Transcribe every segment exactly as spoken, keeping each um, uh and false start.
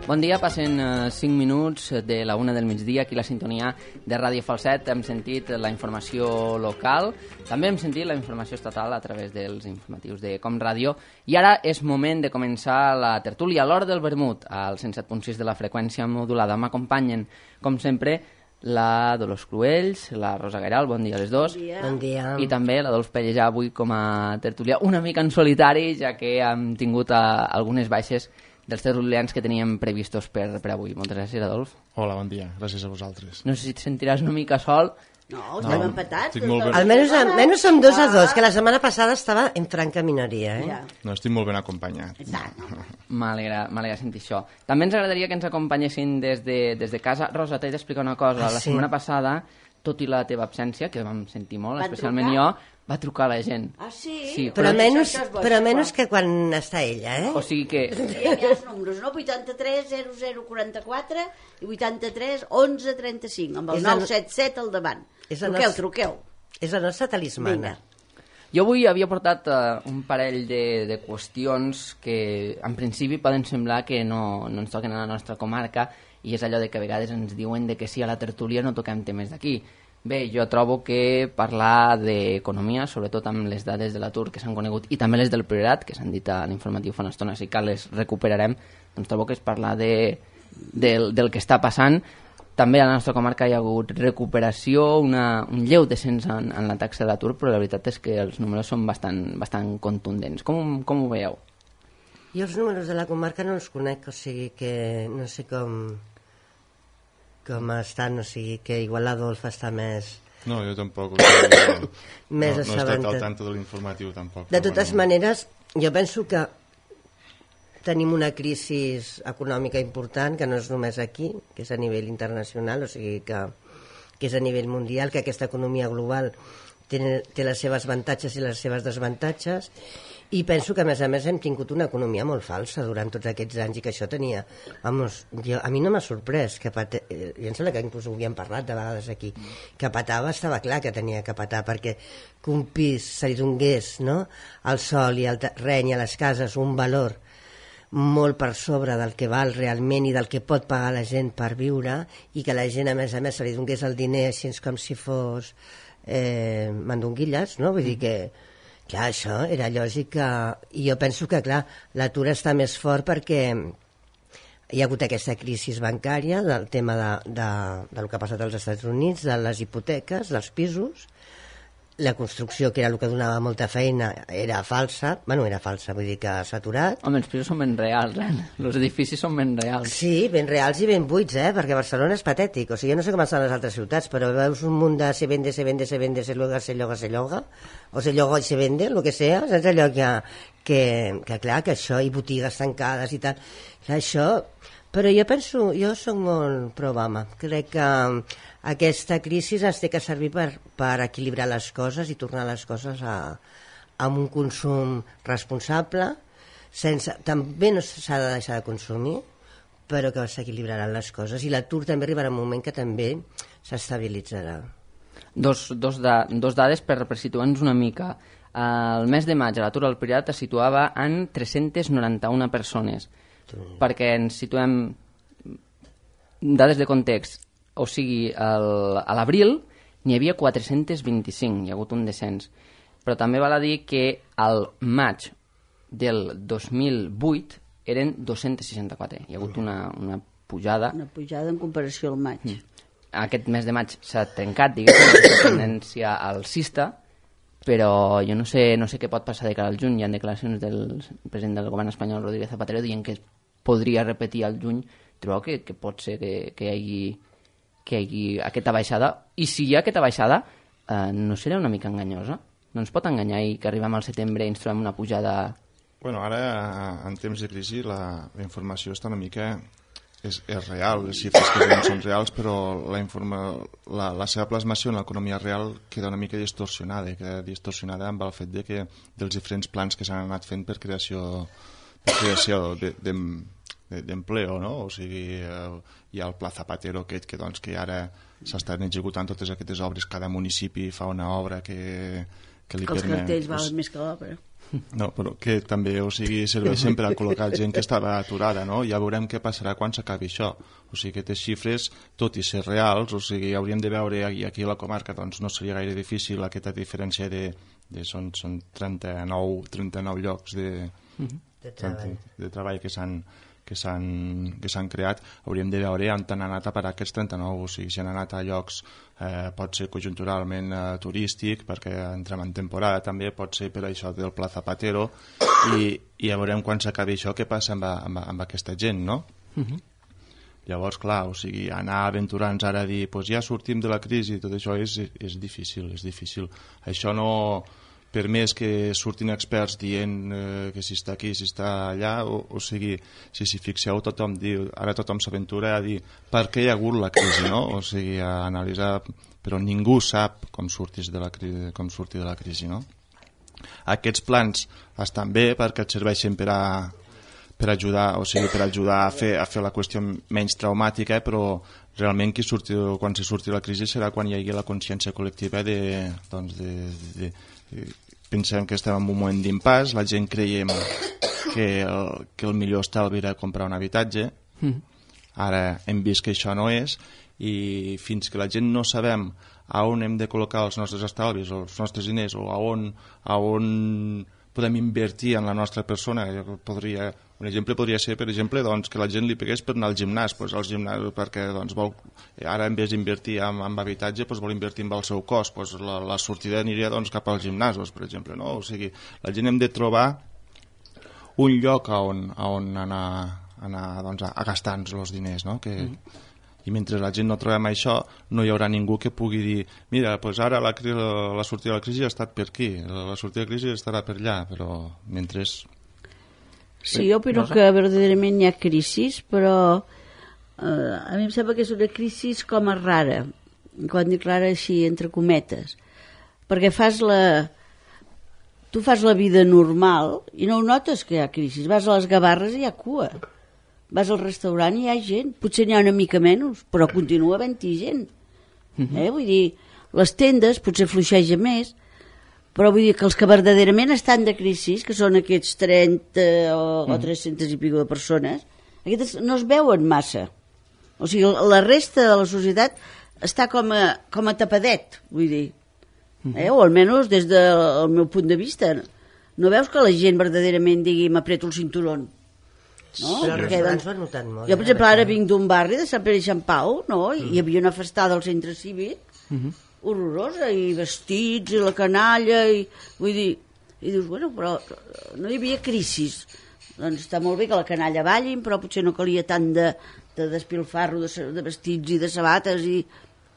Bon dia, passen uh, cinc minuts de la una del migdia aquí a la sintonia de Ràdio Falset. Hem sentit la informació local, també hem sentit la informació estatal a través dels informatius de Com Ràdio i ara és moment de començar la tertúlia a l'hora del vermut al cent set punt sis de la freqüència modulada. M'acompanyen, com sempre, la Dolors Cruells, la Rosa Gairal, bon dia a les dos. Bon dia. Bon dia. I també l'Adolf Pellejà avui com a tertúlia, una mica en solitari, ja que hem tingut uh, algunes baixes dels tertulians que teníem previstos per, per avui. Moltes gràcies, Adolf. Hola, bon dia. Gràcies a vosaltres. No sé si et sentiràs una mica sol. No, estem No, empatats. estic molt ben- Almenys, almenys som dos a dos, que la setmana passada estava en franca minoria, eh? Ja. No, estic molt ben acompanyat. Exacte. M'alegra m'alegra sentir això. També ens agradaria que ens acompanyessin des de, des de casa. Rosa, t'he d'explicar una cosa. Ah, la sí? setmana passada, tot i la teva absència, que vam sentir molt, Van especialment trucar? jo, va trucar la gent. Ah, sí? Sí, Però Això- menys, això és bo, però això és menys bo. que quan està ella, eh? O sigui que... Diem ja els números, no? vuitanta-tres, zero zero, quaranta-quatre i vuitanta-tres, onze, trenta-cinc, amb el És la- nou set set al davant. És la Truqueu, nostra- truqueu. És la nostra talismana. Vinga. Jo avui havia portat uh, un parell de, de qüestions que en principi poden semblar que no, no ens toquen a la nostra comarca i és allò de que a vegades ens diuen de que sí, a la tertúlia no toquem temes d'aquí. Bé, jo trobo que parlar d'economia, sobretot amb les dades de l'atur que s'han conegut i també les del Priorat, que s'han dit a l'informatiu fa una estona, si cal les recuperarem, doncs trobo que és parlar de, del, del que està passant. També a la nostra comarca hi ha hagut recuperació, una, un lleu descens en, en la taxa de l'atur, però la veritat és que els números són bastant, bastant contundents. Com, com ho veieu? Jo els números de la comarca no els conec, o sigui que no sé com com estan, o sigui que igual l'Adolf està més... No, jo tampoc. O sigui, no, Més no, no he estat assabentat. al tanto de l'informatiu, tampoc. De però totes bueno. maneres, jo penso que tenim una crisi econòmica important, que no és només aquí, que és a nivell internacional, o sigui que, que és a nivell mundial, que aquesta economia global té, té les seves avantatges i les seves desavantatges, i penso que a més a més hem tingut una economia molt falsa durant tots aquests anys i que això tenia, vamos, jo, a mi no m'ha sorprès que pate, eh, jo em sembla que inclús ho havíem parlat de vegades aquí, que patava, estava clar que tenia que patar, perquè que un pis se li donés, no?, al sol i al terreny i a les cases un valor molt per sobre del que val realment i del que pot pagar la gent per viure, i que la gent a més a més se li donés el diner així com si fos eh, mandonguilles, no? Vull dir que clar, això era lògic que... I jo penso que, clar, l'atur està més fort perquè hi ha hagut aquesta crisi bancària del tema de, de, del que ha passat als Estats Units, de les hipoteques, dels pisos, la construcció, que era el que donava molta feina, era falsa, bueno, era falsa, vull dir que s'ha aturat. Home, els pisos són ben reals, eh? Els edificis són ben reals. Sí, ben reals i ben buits, eh? Perquè Barcelona és patètic. O sigui, jo no sé com estan les altres ciutats, però veus un munt de se vende, se vende, se vende, se lloga, se lloga, se lloga, o se lloga i se vende, el que sea, saps allò que, que, que clar, que això, i botigues tancades i tal, clar, això... Però jo penso, jo soc molt pro-Obama. Crec que aquesta crisi ens té que servir per, per equilibrar les coses i tornar les coses a, a un consum responsable, sense, també no s'ha de deixar de consumir, però que s'equilibraran les coses. I l'atur també arribarà un moment que també s'estabilitzarà. Dos, dos, da, dos dades per, per situar-nos una mica. El mes de maig l'atur al Priorat es situava en tres-centes noranta-una persones. Perquè ens situem dades de context, o sigui, el, a l'abril n'hi havia quatre-centes vint-i-cinc, hi ha hagut un descens, però també val a dir que al maig del dos mil vuit eren dos-centes seixanta-quatre, hi ha hagut una, una pujada. Una pujada en comparació al maig. Aquest mes de maig s'ha trencat, diguéssim, la tendència alcista, però jo no sé, no sé què pot passar de cara al juny. Hi ha declaracions del president del govern espanyol, Rodríguez Zapatero, dient que es podria repetir al juny. Trobeu que, que pot ser que, que, hi hagi, que hi hagi aquesta baixada? I si hi ha aquesta baixada, eh, no serà una mica enganyosa? No ens pot enganyar i que arribem al setembre i ens trobem una pujada... Bueno, ara, en temps de crisi, la, la informació està una mica... És, és real, les xifres que veiem són reals, però la, informa, la, la seva plasmació en l'economia real queda una mica distorsionada, queda distorsionada amb el fet de que dels diferents plans que s'han anat fent per creació, per creació de, de, de, d'empleo, no? O sigui, eh, hi ha el Pla Zapatero aquest que, doncs, que ara s'estan executant totes aquestes obres, cada municipi fa una obra que, que li Que els permet... cartells valen més que l'obra. No, però que també, o sigui, serveixen per a col·locar gent que estava aturada, no? Ja veurem què passarà quan s'acabi això. O sigui, aquestes xifres, tot i ser reals, o sigui, hauríem de veure, i aquí a la comarca doncs, no seria gaire difícil aquesta diferència de, de són, són trenta-nou, trenta-nou llocs de, De treball. de, de treball que s'han que s'han que s'han creat, hauríem de veure on han anat a parar aquests trenta-nou, o sigui, si han anat a llocs, eh, pot ser conjunturalment eh, turístic, perquè entrem en temporada també, pot ser per això del Pla Zapatero, i, i ja veurem quan s'acabi això què passa amb, amb, amb aquesta gent, no? Uh-huh. Llavors, clar, o sigui, anar aventurant-nos ara a dir, pues ja sortim de la crisi, tot això és, és difícil, és difícil. Això no... per més que surtin experts dient eh, que si està aquí, si està allà, o, o sigui, si s'hi fixeu, tothom diu, ara tothom s'aventura a dir per què hi ha hagut la crisi, no? O sigui, a analitzar, però ningú sap com sortir de la crisi, com sortir de la crisi, no? Aquests plans estan bé perquè et serveixen per a per ajudar, o sigui, per ajudar a fer, a fer la qüestió menys traumàtica, però realment qui surti, quan se surti la crisi serà quan hi hagi la consciència col·lectiva de, doncs de, de, de pensem que estem en un moment d'impàs, la gent creiem que el, que el millor estalvi era comprar un habitatge, mm. Ara hem vist que això no és, i fins que la gent no sabem a on hem de col·locar els nostres estalvis, els nostres diners, o a on, a on podem invertir en la nostra persona, podria, un exemple podria ser, per exemple, doncs, que la gent li pegués per anar al gimnàs, doncs, al gimnàs perquè doncs, vol, ara en vez d'invertir en, en habitatge doncs, vol invertir en el seu cos, doncs, la, la sortida aniria doncs, cap als gimnasos, per exemple, no? O sigui, la gent hem de trobar un lloc a on, a on anar, anar doncs, a, a gastar-nos els diners, no? Que, mm. I mentre la gent no trobem això, no hi haurà ningú que pugui dir mira, doncs ara la, la sortida de la crisi ha estat per aquí, la sortida de la crisi estarà per allà, però mentre... Sí, jo opino no sé. Que verdaderament hi ha crisis, però eh, a mi em sembla que és una crisi com a rara, quan dic rara així, entre cometes, perquè fas la... tu fas la vida normal i no ho notes que hi ha crisi, vas a les Gavarres i hi ha cua. Vas al restaurant i hi ha gent, potser n'hi ha una mica menys, però continua havent-hi gent. Uh-huh. Eh? Vull dir, les tendes potser fluixeja més, però vull dir que els que verdaderament estan de crisi, que són aquests trenta o, uh-huh. o tres-centes i pico de persones, aquestes no es veuen massa. O sigui, la resta de la societat està com a, com a tapadet, vull dir. Uh-huh. Eh? O almenys des del meu punt de vista. No veus que la gent verdaderament digui m'apreto el cinturón? No? Però els restaurants ho han notat molt. Jo, per exemple, ara vinc d'un barri de Sant Pere i Sant Pau, no? I hi havia una festada al centre cívic uh-huh. horrorosa, i vestits, i la canalla, i vull dir, i dius, bueno, però no hi havia crisis. Doncs està molt bé que la canalla ballin, però potser no calia tant de, de despilfarro de, de vestits i de sabates i...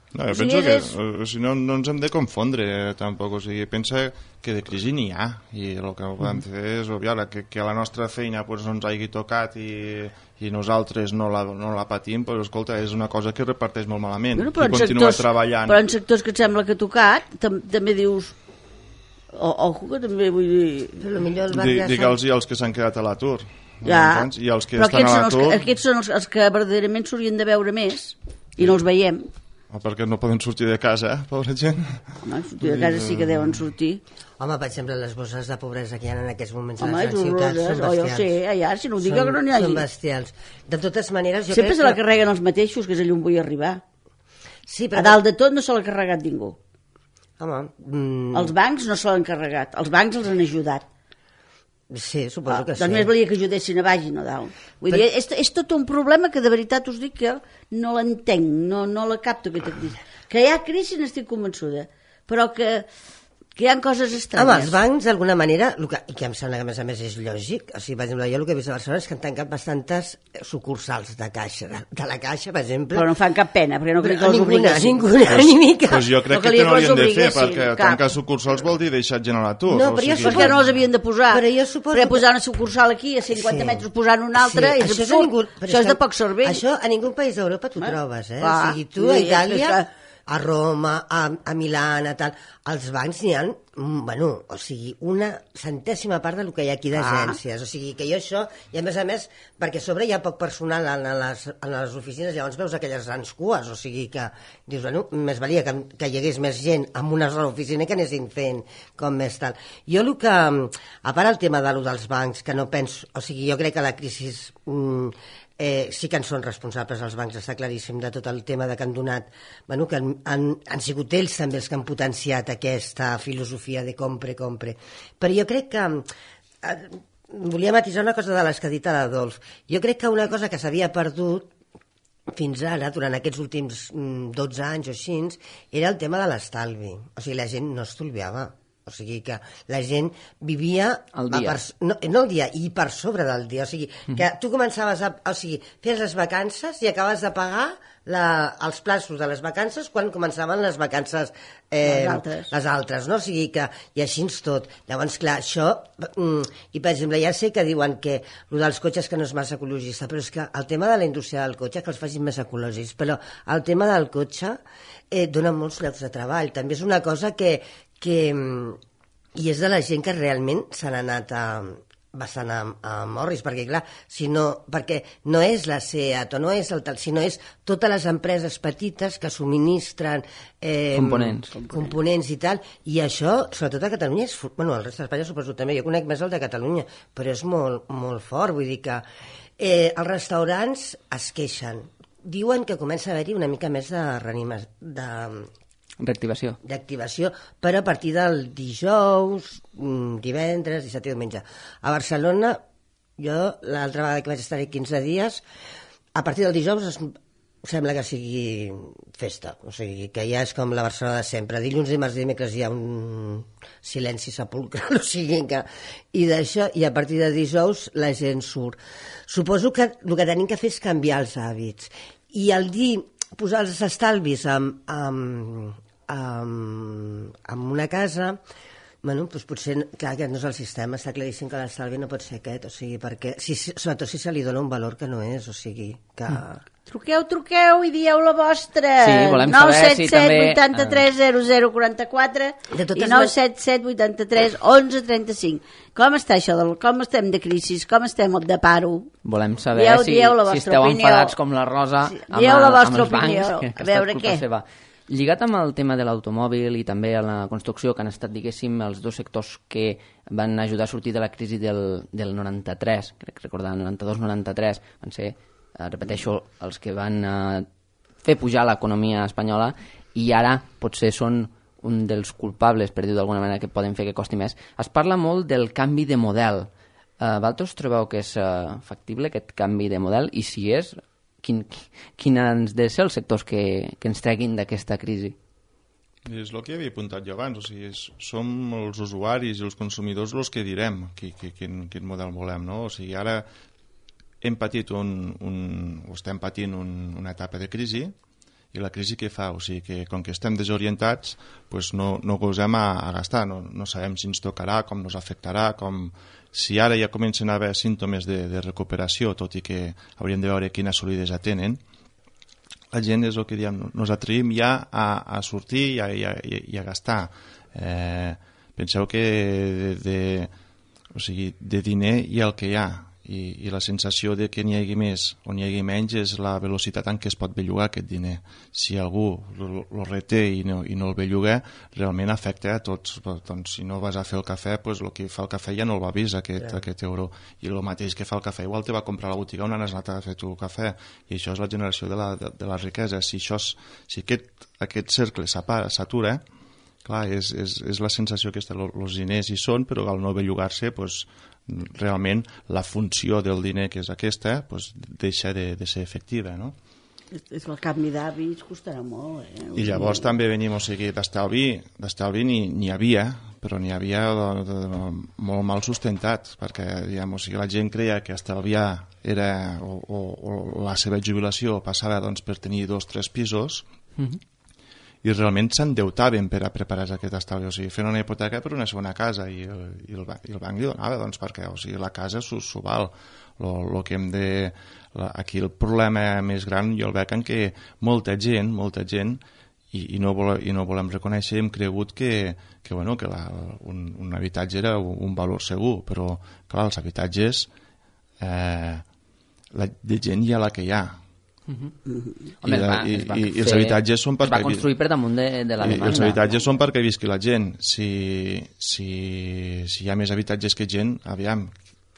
No, jo o sigui, penso que és... o sigui, no, no ens hem de confondre eh, tampoc, o sigui, pensa que de crisi n'hi ha, i el que podem fer és obviar que, que a la nostra feina pues, no ens hagi tocat i, i nosaltres no la, no la patim, però escolta, és una cosa que reparteix molt malament, bueno, i continua sectors, treballant. Però en sectors que et sembla que ha tocat, tam també dius, o, ojo que també vull dir... Però millor el barri Digue'ls i els que s'han quedat a l'atur. Ja, i els que però estan aquests a són, els, aquests són els, els que verdaderament s'haurien de veure més, i no els veiem. O perquè no poden sortir de casa, eh, pobra gent. Home, sortir de casa sí que deuen sortir. Home, per exemple, les bosses de pobresa que hi ha en aquests moments Home, a les ciutats són bestials. Oh, jo sé, allà, si no ho dic que no n'hi hagi. Són bestials. De totes maneres, jo sempre crec se la que... carreguen els mateixos, que és allà on vull arribar. Sí, però... A dalt de tot no se l'ha carregat ningú. Home... Mm... Els bancs no se l'han carregat, els bancs els han ajudat. Sí, suposo que ah, sí. Doncs més valia que ajudessin a baix i no dalt. Vull però... dir, és, és tot un problema que de veritat us dic que no l'entenc, no, no la capto aquesta crisi. Que hi ha crisi n'estic convençuda, però que, que hi ha coses estranyes. Home, els bancs, d'alguna manera, el que, i que em sembla que a més a més és lògic, o sigui, per exemple, jo el que he vist a Barcelona és que han tancat bastantes sucursals de caixa, de, de la caixa, per exemple. Però no fan cap pena, perquè no crec que els obliguessin. Ninguna, ninguna, ni mica. Pues jo crec no que, que no l'haurien de fer, perquè cap. Tancar sucursals vol dir deixar gent a l'atur. No, però o sigui... jo suposo... perquè no els havien de posar. Però jo suposo... Perquè posar una sucursal aquí a cinquanta sí. metres posant una altra, sí. és això absurd. Ningú... Això és de poc cervell. Això a ningú país d'Europa t'ho trobes, eh? Va, o sigui, tu a Itàlia... a Roma, a, a Milà, a tal... als bancs n'hi ha, bueno, o sigui, una centèsima part del que hi ha aquí d'agències, ah. o sigui, que jo això, i a més a més, perquè a sobre hi ha poc personal en les, en les oficines, llavors veus aquelles grans cues, o sigui que dius, bueno, més valia que, que hi hagués més gent en una sola oficina que anessin fent com més tal. Jo el que, a part el tema de lo dels bancs, que no penso, o sigui, jo crec que la crisi mm, Eh, sí que en són responsables els bancs, està claríssim, de tot el tema de que han donat, bueno, que han, han, han sigut ells també els que han potenciat aquesta filosofia de compre, compre. Però jo crec que, eh, volia matisar una cosa de les que ha dit l'Adolf, jo crec que una cosa que s'havia perdut fins ara, durant aquests últims dotze anys o així, era el tema de l'estalvi. O sigui, la gent no estalviava. O sigui que la gent vivia... El dia. Per, no, no el dia, i per sobre del dia. O sigui, que tu començaves a... O sigui, fes les vacances i acabes de pagar la, els plaços de les vacances quan començaven les vacances eh, les altres. Les altres, no? O sigui que... I així és tot. Llavors, clar, això... Mm, I, per exemple, ja sé que diuen que el dels cotxes que no és massa ecologista, però és que el tema de la indústria del cotxe, que els facin més ecològics, però el tema del cotxe eh, dona molts llocs de treball. També és una cosa que... que i és de la gent que realment s'han anat a, bastant a, a Morris, perquè clar, si no, perquè no és la SEAT o no és el tal, sinó és totes les empreses petites que subministren eh, components. components i tal, i això, sobretot a Catalunya, és, bueno, el rest d'Espanya suposo també, jo conec més el de Catalunya, però és molt, molt fort, vull dir que eh, els restaurants es queixen, diuen que comença a haver-hi una mica més de reanimació, de reactivació. D'activació, però a partir del dijous, divendres, dissabte i diumenge. A Barcelona, jo l'altra vegada que vaig estar quinze dies, a partir del dijous es, sembla que sigui festa, o sigui, que ja és com la Barcelona de sempre. Dilluns, dimarts i dimecres hi ha un silenci sepulcral, o sigui que... I d'això, i a partir de dijous la gent surt. Suposo que el que tenim que fer és canviar els hàbits. I el dir, posar els estalvis amb... amb amb, amb una casa, bueno, doncs potser, clar, aquest no és el sistema, està claríssim que l'estalvi no pot ser aquest, o sigui, perquè, si, sobretot si se li dona un valor que no és, o sigui, que... Mm. Truqueu, truqueu i dieu la vostra. Sí, volem saber si també... nou set set vuitanta-tres zero zero quaranta-quatre i nou set set vuitanta-tres onze trenta-cinc. Com està això? Del, com estem de crisi? Com estem de paro? Volem saber dieu, si, dieu si esteu opinió. enfadats com la Rosa sí, amb, dieu la amb els opinió. bancs. Que, que a veure què. Seva. Lligat amb el tema de l'automòbil i també a la construcció, que han estat, diguéssim, els dos sectors que van ajudar a sortir de la crisi del, del noranta-tres, crec recordar, noranta-dos noranta-tres, van ser, eh, repeteixo, els que van eh, fer pujar l'economia espanyola i ara potser són un dels culpables, per dir-ho d'alguna manera, que poden fer que costi més. Es parla molt del canvi de model. Eh, vosaltres trobeu que és eh, factible aquest canvi de model? I si és... Quin, quin han de ser els sectors que, que ens treguin d'aquesta crisi? És el que havia apuntat jo abans, o sigui, és, som els usuaris i els consumidors els que direm qui, qui, quin, quin model volem, no? O sigui, ara hem patit un, un, o estem patint un, una etapa de crisi, i la crisi què fa? O sigui, que com que estem desorientats, pues no, no gosem a, a gastar, no, no sabem si ens tocarà, com ens afectarà, com... Si ara ja comencen a haver símptomes de, de recuperació, tot i que hauríem de veure quina solidesa tenen, la gent és el que diem, nos atrevim ja a, a sortir i a, i a, i a gastar. Eh, penseu que de, de, o sigui, de diner hi ha el que hi ha, i, i la sensació de que n'hi hagi més o n'hi hagi menys és la velocitat en què es pot bellugar aquest diner. Si algú el reté i no, i no el belluga, realment afecta a tots. Doncs, si no vas a fer el cafè, pues, el que fa el cafè ja no el va vist, aquest, yeah. aquest euro. I el mateix que fa el cafè, igual te va comprar a la botiga on has anat a fer tu cafè. I això és la generació de la, de, de la riquesa. Si, això és, si aquest, aquest cercle s'atura, clar, és, és, és la sensació que els diners hi són, però al no bellugar-se, pues, realment la funció del diner, que és aquesta, pues, deixa de, de ser efectiva, no? És el canvi d'hàbits costarà molt, eh? I llavors també venim, o sigui, d'estalvi, d'estalvi n'hi havia, però n'hi havia de, de, de, molt mal sustentat, perquè diguem, o sigui, la gent creia que estalviar era, o, o, o la seva jubilació passava doncs, per tenir dos o tres pisos, mm-hmm. i realment s'endeutaven per a preparar aquest estalvi, o sigui, fent una hipoteca per una segona casa, i el, i el, i el banc li donava, doncs, perquè o sigui, la casa s'ho val. Lo, lo que hem de... La, aquí el problema més gran jo el veig en què molta gent, molta gent i, i, no, vol, i no volem reconèixer, hem cregut que, que, bueno, que la, un, un habitatge era un, un valor segur, però clar, els habitatges eh, la, de gent hi ha la que hi ha. Uh-huh. I, Home, la, va, i, es va i, fer, i els habitatges són perquè es va construir per damunt de, de la demanda. I els habitatges són perquè visqui la gent. Si, si, si hi ha més habitatges que gent, aviam.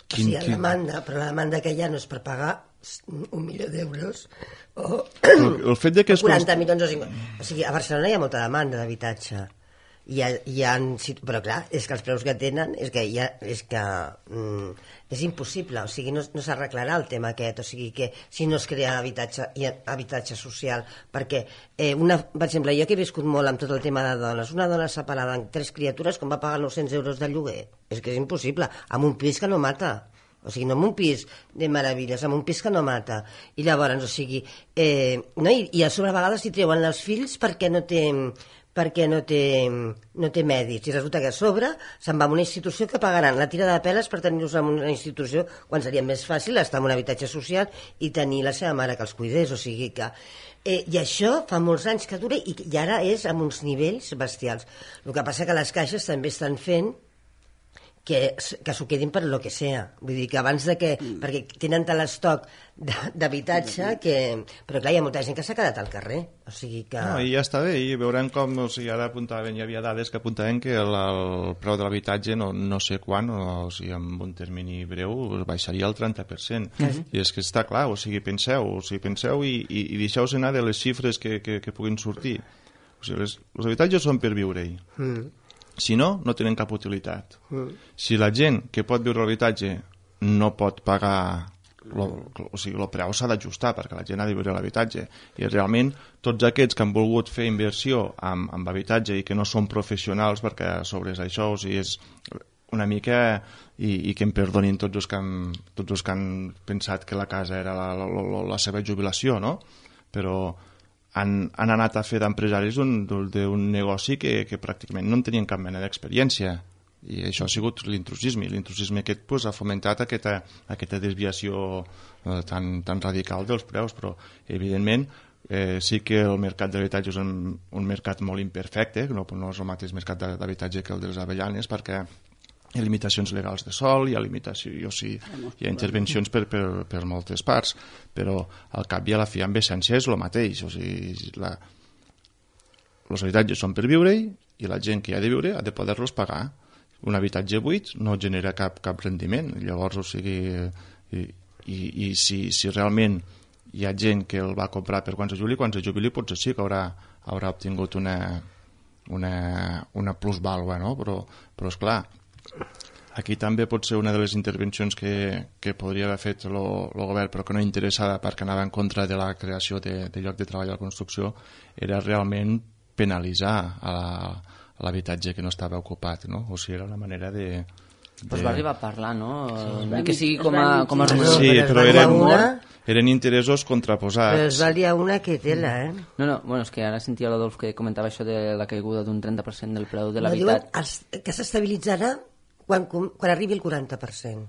Quin, sí, hi ha quin... demanda, però la demanda que hi ha no és per pagar un milió d'euros o el, el fet de que es quaranta milions o cinquanta. O sigui, a Barcelona hi ha molta demanda d'habitatge. Hi ha, hi ha, però clar, és que els preus que tenen és que, hi ha, és, que mm, és impossible, o sigui, no, no s'arreglarà el tema aquest, o sigui que si no es crea habitatge, habitatge social, perquè eh, una, per exemple, jo que he viscut molt amb tot el tema de dones, una dona separada amb tres criatures com va pagar nou-cents euros de lloguer, és que és impossible, amb un pis que no mata. O sigui, no amb un pis de meravelles, amb un pis que no mata. I llavors, o sigui, eh, no? I, i a sobre a vegades hi treuen els fills perquè no té perquè no té, no té mèdics, i resulta que a sobre se'n va a una institució que pagaran la tira de peles per tenir-los en una institució quan seria més fàcil estar en un habitatge social i tenir la seva mare que els cuidés, o sigui que eh, i això fa molts anys que dura i, i ara és amb uns nivells bestials. El que passa que les caixes també estan fent que, que s'ho quedin per lo que sea, vull dir que abans de que, mm. perquè tenen tal estoc d'habitatge que, però clar, hi ha molta gent que s'ha quedat al carrer, o sigui que... No, i ja està bé, i veurem com, o sigui, ara apuntaven, hi havia dades que apuntaven que el, el preu de l'habitatge no, no sé quan, o sigui, en un termini breu baixaria el trenta per cent, mm-hmm. i és que està clar, o sigui, penseu, o sigui, penseu i, i, i deixeu-vos anar de les xifres que, que, que puguin sortir, o sigui, les, els habitatges són per viure-hi, mm. Si no, no tenen cap utilitat. Mm. Si la gent que pot viure l'habitatge no pot pagar, lo, o sigui, el preu s'ha d'ajustar perquè la gent ha de viure l'habitatge. I realment tots aquests que han volgut fer inversió en, en habitatge i que no són professionals, perquè sobre això o sigui, és una mica, i, i que em perdonin tots els que han, tots els que han pensat que la casa era la, la, la, la seva jubilació, no? Però Han, han anat a fer d'empresaris d'un negoci que, que pràcticament no en tenien cap mena d'experiència, i això ha sigut l'intrusisme, i l'intrusisme aquest pues, ha fomentat aquesta, aquesta desviació eh, tan, tan radical dels preus, però evidentment eh, sí que el mercat d'habitatge és un, un mercat molt imperfecte, no, no és el mateix mercat d'habitatge que el dels Avellanes, perquè hi ha limitacions legals de sol, hi ha, limitació, o sigui, hi ha intervencions per, per, per moltes parts, però al cap i a la fi en essència és el mateix. O sigui, la... els habitatges són per viure-hi i la gent que hi ha de viure ha de poder-los pagar. Un habitatge buit no genera cap, cap rendiment. Llavors, o sigui, i, i, i si, si realment hi ha gent que el va comprar per quan se jubili, quan se jubili potser sí que haurà, haurà obtingut una, una, una plusvàlua, no? Però, però esclar, aquí també pot ser una de les intervencions que, que podria haver fet el govern però que no interessava perquè anava en contra de la creació de, de lloc de treball a la construcció, era realment penalitzar a l'habitatge que no estava ocupat, no? O sigui, era una manera de... de... Pues va arribar a parlar, no? Sí, que sigui com a... Com a sí, però eren, eren interessos contraposats. Però es valia una que tela, eh? No, no, bueno, és que ara sentia l'Adolf que comentava això de la caiguda d'un trenta per cent del preu de l'habitat. No, que s'estabilitzarà Quan, quan arribi el quaranta per cent.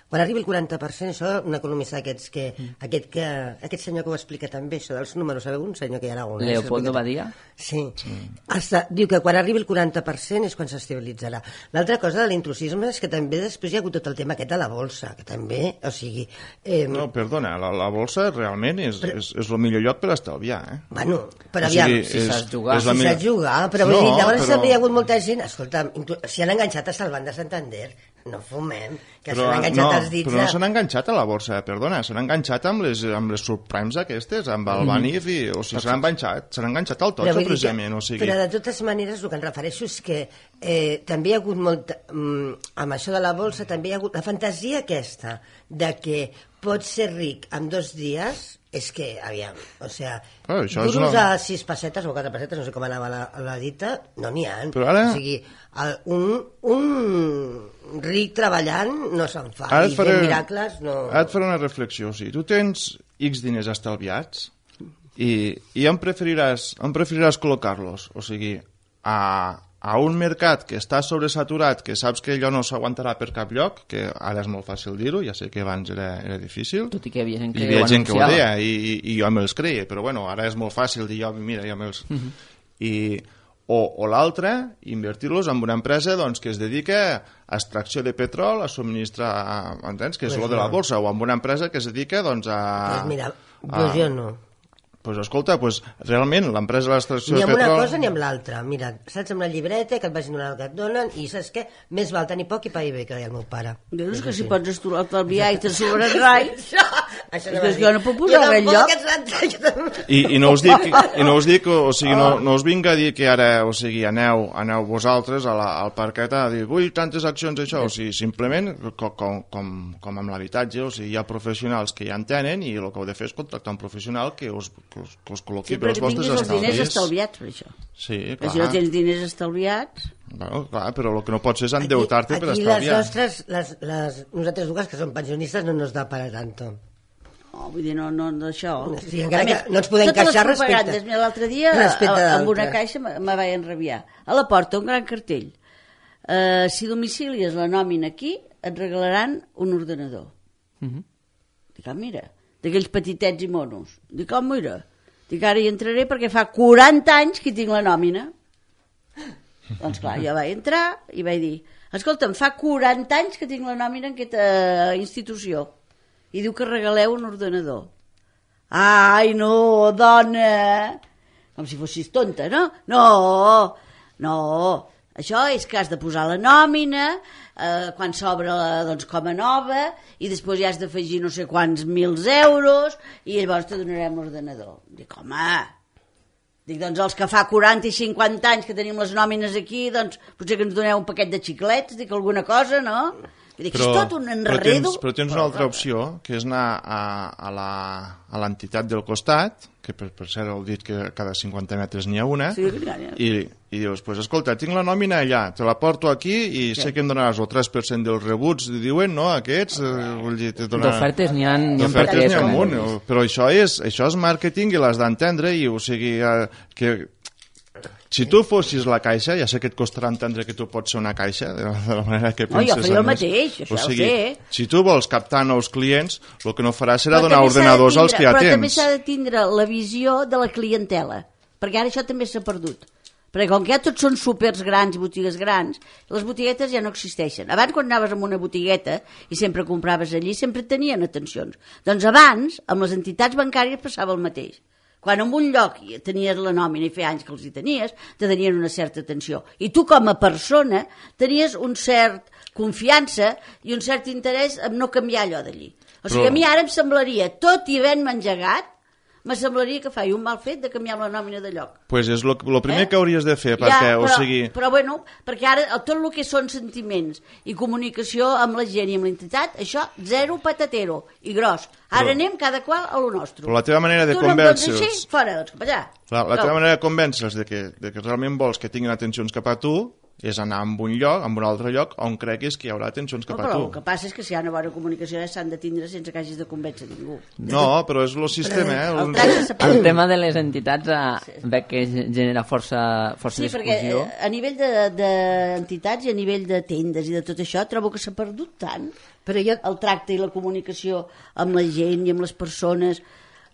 Quan arribi el quaranta per cent, això, un economista aquests que, mm. aquest, que, aquest senyor que ho explica també, això dels números, sabeu un senyor que hi ha a Aragonès? Leopoldo Badia? Sí. sí. Hasta, diu que quan arribi el quaranta per cent és quan s'estabilitzarà. L'altra cosa de l'intrusisme és que també després hi ha hagut tot el tema aquest de la bolsa, que també, o sigui... Eh, no, perdona, la, la bolsa realment és, però, és, és el millor lloc per estalviar, eh? Bueno, però aviam... O sigui, si saps jugar. Si millor... saps jugar, però no, vull dir, llavors però... també hi ha hagut molta gent, escolta, si han enganxat hasta el Banc de Santander, no fumem, que s'han enganxat no, els dits... Però no s'han enganxat a la borsa, perdona, s'han enganxat amb les, amb les subprimes aquestes, amb el Banif, i, o sigui, s'han enganxat, s'han enganxat al totxo, precisament, que, o sigui... Però de totes maneres, el que em refereixo és que eh, també hi ha hagut molta... Mm, amb això de la bolsa, també hi ha hagut la fantasia aquesta de que pots ser ric en dos dies... És que, aviam, o sigui, oh, duros una... a sis pessetes o quatre pessetes, no sé com anava la, la dita, no n'hi ha. Però ara... O sigui, el, un, un ric treballant no se'n fa, i faré... fent miracles no... Ara et faré una reflexió, o sigui, tu tens X diners estalviats i, i on preferiràs, on preferiràs col·locar-los? O sigui, a... a un mercat que està sobresaturat, que saps que allò no s'aguantarà per cap lloc, que ara és molt fàcil dir-ho, ja sé que abans era, era difícil. Tot i que hi havia gent que, hi havia gent que ho deia, i, i, i jo me'ls creia, però bueno, ara és molt fàcil dir jo, mira, jo me'ls... Uh -huh. I, o, o l'altre, invertir-los en una empresa doncs, que es dedica a extracció de petrol, a subministrar, entens? Que és pues el de la borsa, o en una empresa que es dedica doncs, a... Pues mira, pues jo no. Pues escolta, pues, realment l'empresa de l'extracció de petrol... Ni amb una cosa ni amb l'altra. Mira, saps, amb la llibreta que et vagin donar el que et donen i saps què? Més val tenir poc i pair bé, que deia el meu pare. Dius que si pots estalviar i te'n sobren rai... Això no és que jo no puc posar res enlloc. I, i, no us dic, I no us dic, o sigui, no, no us vinc a dir que ara, o sigui, aneu, aneu vosaltres a la, al parquet a dir, ui, tantes accions això, o sigui, simplement, com, com, com, com amb l'habitatge, o sigui, hi ha professionals que ja en tenen i el que heu de fer és contractar un professional que us, que us, que us col·loqui sí, per als vostres estalvis. Sí, però que tinguis els diners estalviats per això. Sí, clar. Però si no tens diners estalviats... Bueno, clar, però el que no pots és endeutar-te per estalviar. Aquí les nostres, les, les, nosaltres dues que som pensionistes no nos da para tanto. No, vull dir, no, no, d'això... Sí, encara més, que no ens podem queixar respecte... L'altre dia, amb una caixa, me vaig enrabiar. A la porta, un gran cartell. Uh, si domicilies la nòmina aquí, et regalaran un ordenador. Uh -huh. Dic, ah, mira, d'aquells petitets i monos. Dic, oh, mira, dic, ara hi entraré perquè fa quaranta anys que tinc la nòmina. Doncs clar, jo vaig entrar i vaig dir, escolta'm, fa quaranta anys que tinc la nòmina en aquesta institució. I diu que regaleu un ordenador. Ai, no, dona! Com si fossis tonta, no? No, no. Això és que has de posar la nòmina, eh, quan s'obre doncs, com a nova, i després ja has d'afegir no sé quants mils euros, i llavors te donarem l'ordenador. Dic, home... Dic, doncs els que fa quaranta i cinquanta anys que tenim les nòmines aquí, doncs potser que ens doneu un paquet de xiclets, dic alguna cosa, no? Dic, però, és tot un enredo. Però tens, però tens una altra opció, que és anar a, a l'entitat del costat, que per, per cert heu dit que cada cinquanta metres n'hi ha una, sí, i, i dius, pues, escolta, tinc la nòmina allà, te la porto aquí i sí. sé que em donaràs el tres per cent dels rebuts, diuen, no, aquests... Eh, vull dir, donar... D'ofertes n'hi ha, n'hi ha per què. N'hi ha un munt, però això és, això és màrqueting i l'has d'entendre, i o sigui, eh, que... Si tu fossis la caixa, ja sé que et costarà entendre que tu pots ser una caixa, de la manera que penses... No, jo faria el mateix, això o sigui, ho sé. Si tu vols captar nous clients, el que no faràs serà donar ordenadors als que ja però tens. Però també s'ha de tindre la visió de la clientela, perquè ara això també s'ha perdut. Perquè com que ja tots són supers grans i botigues grans, les botiguetes ja no existeixen. Abans, quan anaves a una botigueta i sempre compraves allí, sempre tenien atencions. Doncs abans, amb les entitats bancàries passava el mateix. Quan en un lloc tenies la nòmina i feia anys que els hi tenies, te tenien una certa atenció. I tu com a persona tenies un cert confiança i un cert interès en no canviar allò d'allí. O sigui, Però... a mi ara em semblaria, tot i havent-me engegat, me semblaria que faig un mal fet de canviar la nòmina de lloc. Doncs pues és el primer eh? que hauries de fer, perquè, ja, però, o sigui... Però, bueno, perquè ara tot el que són sentiments i comunicació amb la gent i amb l'entitat, això, zero patatero i gros. Ara però, anem cada qual a lo nostre. Però la teva manera de convèncer-los... Tu no em dones així? Fora, doncs cap allà. La, la teva manera de convèncer-los de, que, de que realment vols que tinguin atencions cap a tu és anar a un lloc, a un altre lloc, on creguis que hi haurà atencions cap no, a però tu. El que passa és que si hi ha una bona comunicació ja s'han de tindre sense que hagis de convèncer ningú. No, però és el sistema, eh? El, el, el tema de les entitats eh, veig que genera força, força sí, discussió. Sí, perquè a nivell d'entitats de, de i a nivell de tendes i de tot això trobo que s'ha perdut tant però jo... el tracte i la comunicació amb la gent i amb les persones.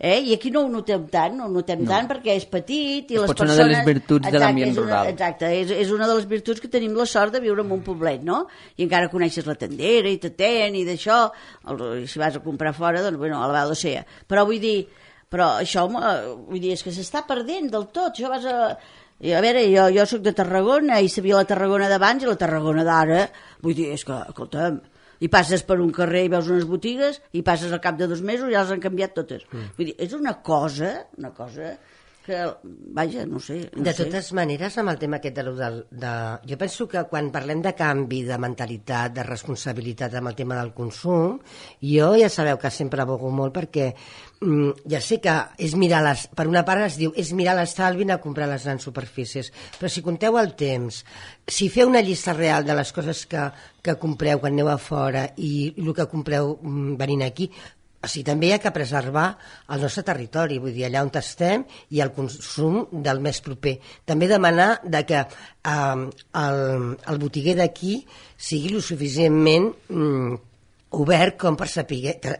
Eh? I aquí no ho notem tant, no ho notem no. tant perquè és petit i és les pot persones... una de les virtuts exacte, de l'ambient rural. Exacte, és, és una de les virtuts que tenim la sort de viure en un poblet, no? I encara coneixes la tendera i t'atén i d'això, si vas a comprar fora, doncs, bueno, alabado sea. Però vull dir, però això, vull dir, és que s'està perdent del tot, això vas a... I a veure, jo, jo soc de Tarragona i sabia la Tarragona d'abans i la Tarragona d'ara, vull dir, és que, escolta'm, i passes per un carrer i veus unes botigues i passes al cap de dos mesos i ja les han canviat totes. Mm. Vull dir, és una cosa, una cosa que, vaja, no sé. No de sé. totes maneres, amb el tema aquest de, de, de... Jo penso que quan parlem de canvi, de mentalitat, de responsabilitat amb el tema del consum, jo ja sabeu que sempre abogo molt perquè mm, ja sé que és mirar les... Per una part es diu, és mirar l'estalvi a comprar les grans superfícies, però si compteu el temps, si feu una llista real de les coses que, que compreu quan aneu a fora i el que compreu mm, venint aquí, o sigui, també hi ha que preservar el nostre territori, vull dir, allà on estem i el consum del més proper. També demanar de que eh, el, el botiguer d'aquí sigui lo suficientment mm, obert com per saber, que,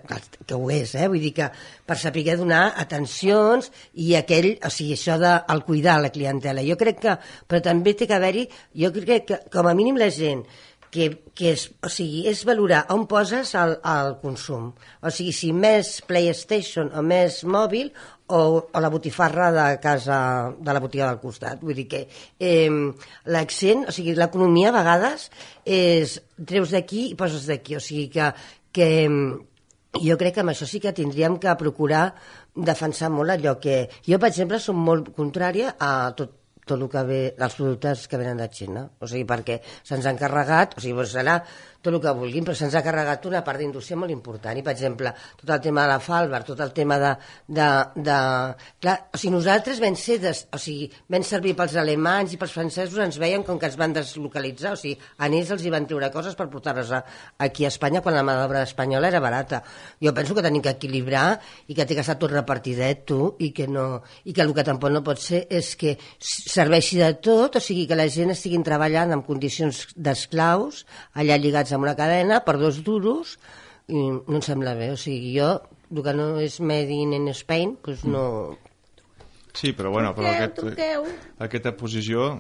que ho és, eh? Vull dir que per saber donar atencions i aquell, o sigui, això del cuidar la clientela. Jo crec que, però també té que haver-hi, jo crec que com a mínim la gent que, que és, o sigui, és valorar on poses el, el consum. O sigui, si més PlayStation o més mòbil o, o la botifarra de casa, de la botiga del costat. Vull dir que eh, l'accent, o sigui, l'economia a vegades és treus d'aquí i poses d'aquí. O sigui que, que jo crec que amb això sí que tindríem que procurar defensar molt allò que... Jo, per exemple, som molt contrària a tot tot el que ve, els productes que venen de Xina, o sigui, perquè se'ns han carregat, o sigui, doncs serà tot el que vulguin, però se'ns ha carregat una part d'indústria molt important, i per exemple, tot el tema de la Falbar, tot el tema de... de, de... Clar, o sigui, nosaltres vam ser, des, o sigui, vam servir pels alemanys i pels francesos, ens veien com que ens van deslocalitzar, o sigui, a ells els hi van treure coses per portar-les aquí a Espanya quan la mà d'obra espanyola era barata. Jo penso que tenim que equilibrar i que té que estar tot repartidet, tu, i que no, i que el que tampoc no pot ser és que serveixi de tot, o sigui, que la gent estiguin treballant en condicions d'esclaus, allà lligats amb una cadena per dos duros, i no em sembla bé. O sigui, jo, el que no és made in Spain, doncs no... Sí, però bueno, però aquest, aquesta posició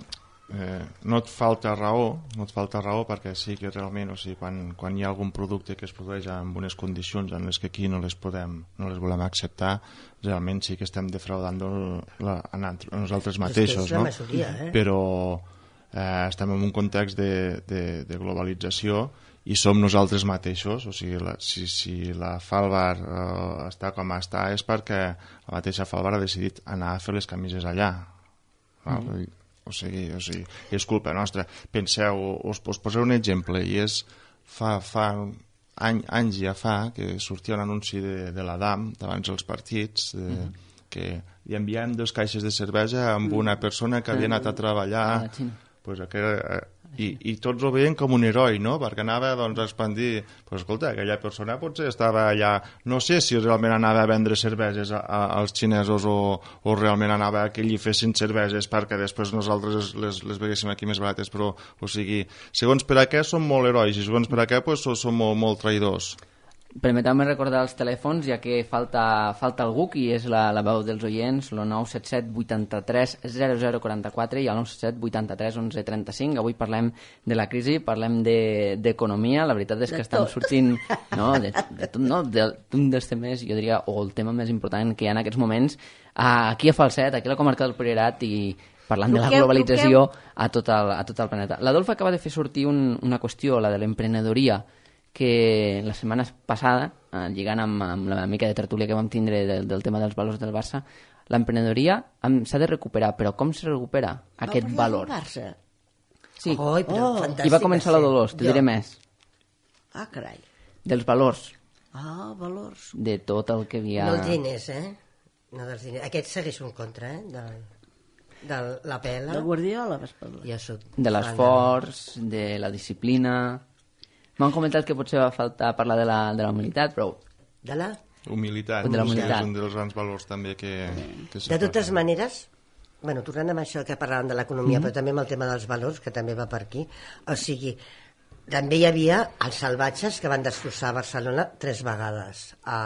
eh, no et falta raó, no et falta raó perquè sí que realment, o sigui, quan, quan hi ha algun producte que es produeix en unes condicions en les que aquí no les podem, no les volem acceptar, realment sí que estem defraudant la, a nosaltres mateixos, és que és la no? majoria, eh? Però eh, estem en un context de, de, de globalització i som nosaltres mateixos, o sigui, la, si, si la Falbar eh, està com està és perquè la mateixa Falbar ha decidit anar a fer les camises allà. Mm. O sigui, o sigui, és culpa nostra. Penseu, us, us posaré un exemple, i és fa, fa any, anys ja fa que sortia un anunci de, de la D A M d'abans dels partits, de, mm. que li enviàvem dos caixes de cervesa amb una persona que havia anat a treballar pues, que, eh, i, i tots ho veien com un heroi, no? Perquè anava doncs, a expandir, pues, escolta, aquella persona potser estava allà, no sé si realment anava a vendre cerveses a, a, als xinesos o, o realment anava a que allí fessin cerveses perquè després nosaltres les, les veguéssim aquí més barates, però o sigui, segons per a què som molt herois i segons per a què pues, som molt, molt traïdors. Permeteu-me recordar els telèfons, ja que falta, falta algú, qui és la, la veu dels oients, el nou set set vuitanta-tres zero zero quaranta-quatre i el nou set set vuitanta-tres onze trenta-cinc. Avui parlem de la crisi, parlem d'economia, de, la veritat és que de estan tot. sortint no, de, de tot, no, d'un dels temes, jo diria, o el tema més important que hi ha en aquests moments, aquí a Falset, aquí a la comarca del Priorat, i parlant de la globalització a tot el, a tot el planeta. L'Adolf acaba de fer sortir un, una qüestió, la de l'emprenedoria, que la setmana passada, eh, lligant amb, amb la mica de tertúlia que vam tindre del, del tema dels valors del Barça, l'emprenedoria s'ha de recuperar, però com se recupera aquest no, valor? Barça. Sí, oh, però oh. I va començar la Dolors, te diré més. Ah, carai. Dels valors. Ah, valors. De tot el que havia... No els diners, eh? No dels diners. Aquest segueix un contra, eh? De, de la pela. De Guardiola, vas parlar. Ja soc de l'esforç, de la disciplina... M'han comentat que potser va faltar parlar de la, de la humilitat, però... De la? Humilitat. De la humilitat. És un dels grans valors també que... que de totes maneres, bueno, tornant amb això que parlàvem de l'economia, mm-hmm. però també amb el tema dels valors, que també va per aquí, o sigui, també hi havia els salvatges que van destrossar Barcelona tres vegades a,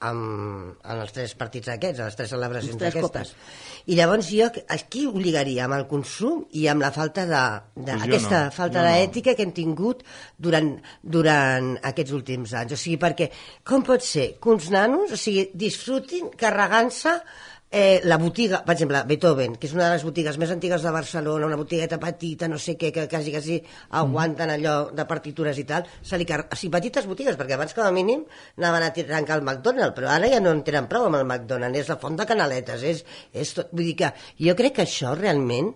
amb, en els tres partits aquests, a les tres celebracions tres aquestes. Copes. I llavors jo aquí ho lligaria amb el consum i amb la falta de, de pues aquesta no, falta d'ètica no. que hem tingut durant, durant aquests últims anys. O sigui, perquè com pot ser que uns nanos, o sigui, disfrutin carregant-se Eh, la botiga, per exemple, Beethoven, que és una de les botigues més antigues de Barcelona, una botigueta petita, no sé què, que quasi, quasi aguanten allò de partitures i tal, se li car... o sigui, petites botigues, perquè abans com a mínim anaven a trencar el McDonald's, però ara ja no en tenen prou amb el McDonald's, és la font de canaletes, és, és tot... Vull dir que jo crec que això realment...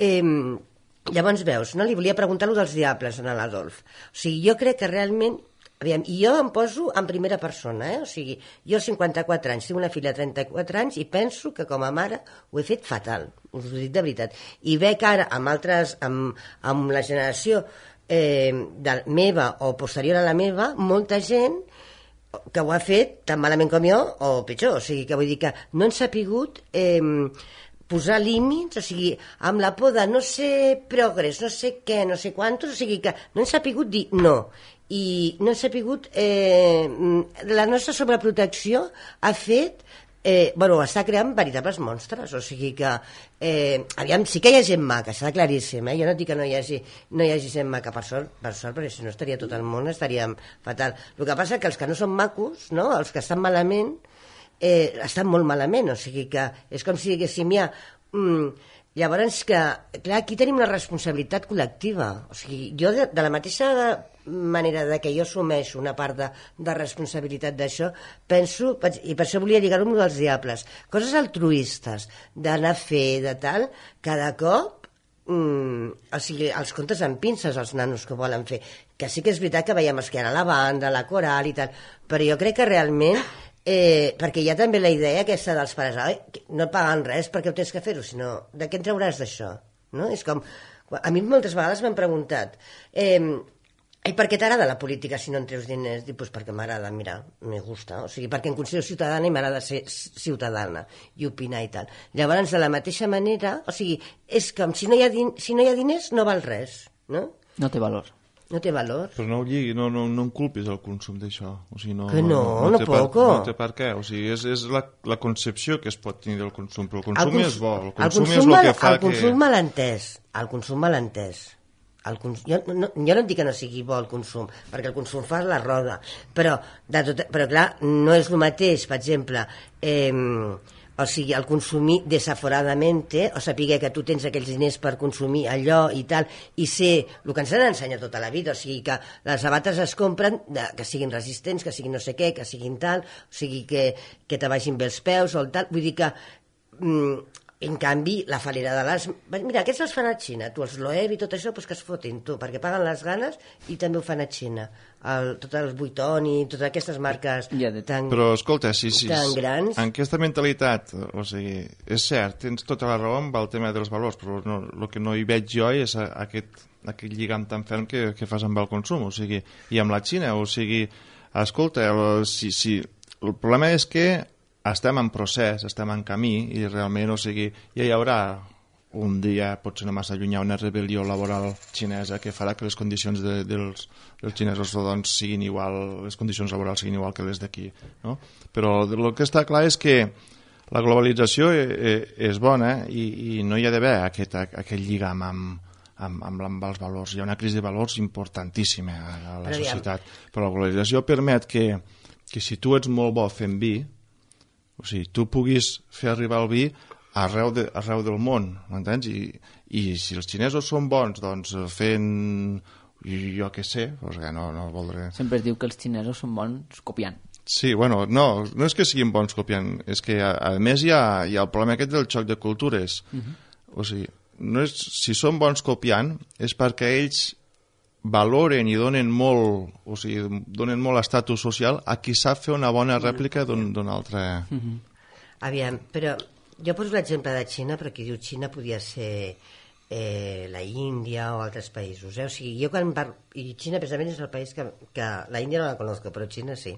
Eh, llavors veus, no? Li volia preguntar lo dels diables a l'Adolf. O sigui, jo crec que realment... Aviam, i jo em poso en primera persona, eh? O sigui, jo cinquanta-quatre anys, tinc una filla de trenta-quatre anys i penso que com a mare ho he fet fatal, us ho dic de veritat. I veig ara amb altres, amb, amb la generació eh, de meva o posterior a la meva, molta gent que ho ha fet tan malament com jo o pitjor, o sigui que vull dir que no han sapigut eh, posar límits, o sigui, amb la por de no sé progrés, no sé què, no sé quantos, o sigui que no hem sapigut dir no. I no hem sapigut... Eh, la nostra sobreprotecció ha fet... Eh, bueno, està creant veritables monstres, o sigui que eh, aviam, sí que hi ha gent maca, està claríssim, eh? Jo no dic que no hi hagi, no hi hagi gent maca per sort, per sort, perquè si no estaria tot el món, estaria fatal. El que passa és que els que no són macos, no? Els que estan malament, eh, estan molt malament, o sigui que és com si diguéssim ja... Mm, llavors que, clar, aquí tenim una responsabilitat col·lectiva, o sigui, jo de, de la mateixa manera de que jo assumeixo una part de, de responsabilitat d'això, penso, i per això volia lligar-ho amb dels diables, coses altruistes, d'anar a fer, de tal, cada cop, mm, o sigui, els contes amb pinces, els nanos que volen fer, que sí que és veritat que veiem esquerra la banda, la coral i tal, però jo crec que realment, eh, perquè hi ha també la idea aquesta dels pares, oi, no et paguen res perquè ho tens que fer-ho, sinó, de què en trauràs d'això? No? És com, a mi moltes vegades m'han preguntat, eh, i per què t'agrada la política si no en treus diners? Dic, pues perquè m'agrada, mira, me gusta, o sigui, perquè em considero ciutadana i m'agrada ser ciutadana i opinar i tal. Llavors, de la mateixa manera, o sigui, és com si no hi ha, din si no hi ha diners no val res, no? No té valor. No té valor. Però no ho lligui, no, no, no en culpis el consum d'això. O sigui, no, que no, no, no, no té poco. Per, no té per què. O sigui, és, és la, la concepció que es pot tenir del consum, però el consum, el consum és bo. El consum, el consum és el que fa el consum que... mal entès. El consum mal entès. El cons... jo, no, jo no dic que no sigui bo el consum, perquè el consum fa la roda, però, de tot... però clar, no és el mateix, per exemple, eh, o sigui, el consumir desaforadamente, o saber que tu tens aquells diners per consumir allò i tal, i ser el que ens han ensenyat tota la vida, o sigui, que les sabates es compren de, que siguin resistents, que siguin no sé què, que siguin tal, o sigui, que, que te vagin bé els peus o el tal, vull dir que... Mm, en canvi, la falera de les... Mira, aquests els fan a Xina, tu els Loewe i tot això, doncs que es fotin, tu, perquè paguen les ganes i també ho fan a Xina. El, tots els Vuitton i totes aquestes marques ja de... tan, Però, escolta, sí, sí, tan grans... En aquesta mentalitat, o sigui, és cert, tens tota la raó amb el tema dels valors, però no, el que no hi veig jo és aquest, aquest lligam tan ferm que, que fas amb el consum, o sigui, i amb la Xina, o sigui, escolta, el, si, si, el problema és que estem en procés, estem en camí i realment, o sigui, ja hi haurà un dia, potser no massa llunyà, una rebel·lió laboral xinesa que farà que les condicions de, dels, dels xinesos doncs, siguin igual, les condicions laborals siguin igual que les d'aquí, no? Però el que està clar és que la globalització és bona i, i no hi ha d'haver aquest, aquest lligam amb, amb, amb, amb els valors. Hi ha una crisi de valors importantíssima a, a la societat, però la globalització permet que, que si tu ets molt bo fent vi, o sigui, tu puguis fer arribar el vi arreu, de, arreu del món, m'entens? I, I si els xinesos són bons, doncs fent, jo què sé, doncs no, no voldré... Sempre es diu que els xinesos són bons copiant. Sí, bueno, no, no és que siguin bons copiant, és que a, a més hi ha, hi ha el problema aquest del xoc de cultures. Uh-huh. O sigui, no és, si són bons copiant és perquè ells valoren i donen molt, o sigui, donen molt estatus social a qui sap fer una bona rèplica d'un altre... Uh-huh. Aviam, però jo poso l'exemple de Xina, però qui diu Xina podia ser eh, la Índia o altres països, eh? O sigui, jo quan parlo... I Xina precisament és el país que... que la Índia no la conozco, però Xina sí.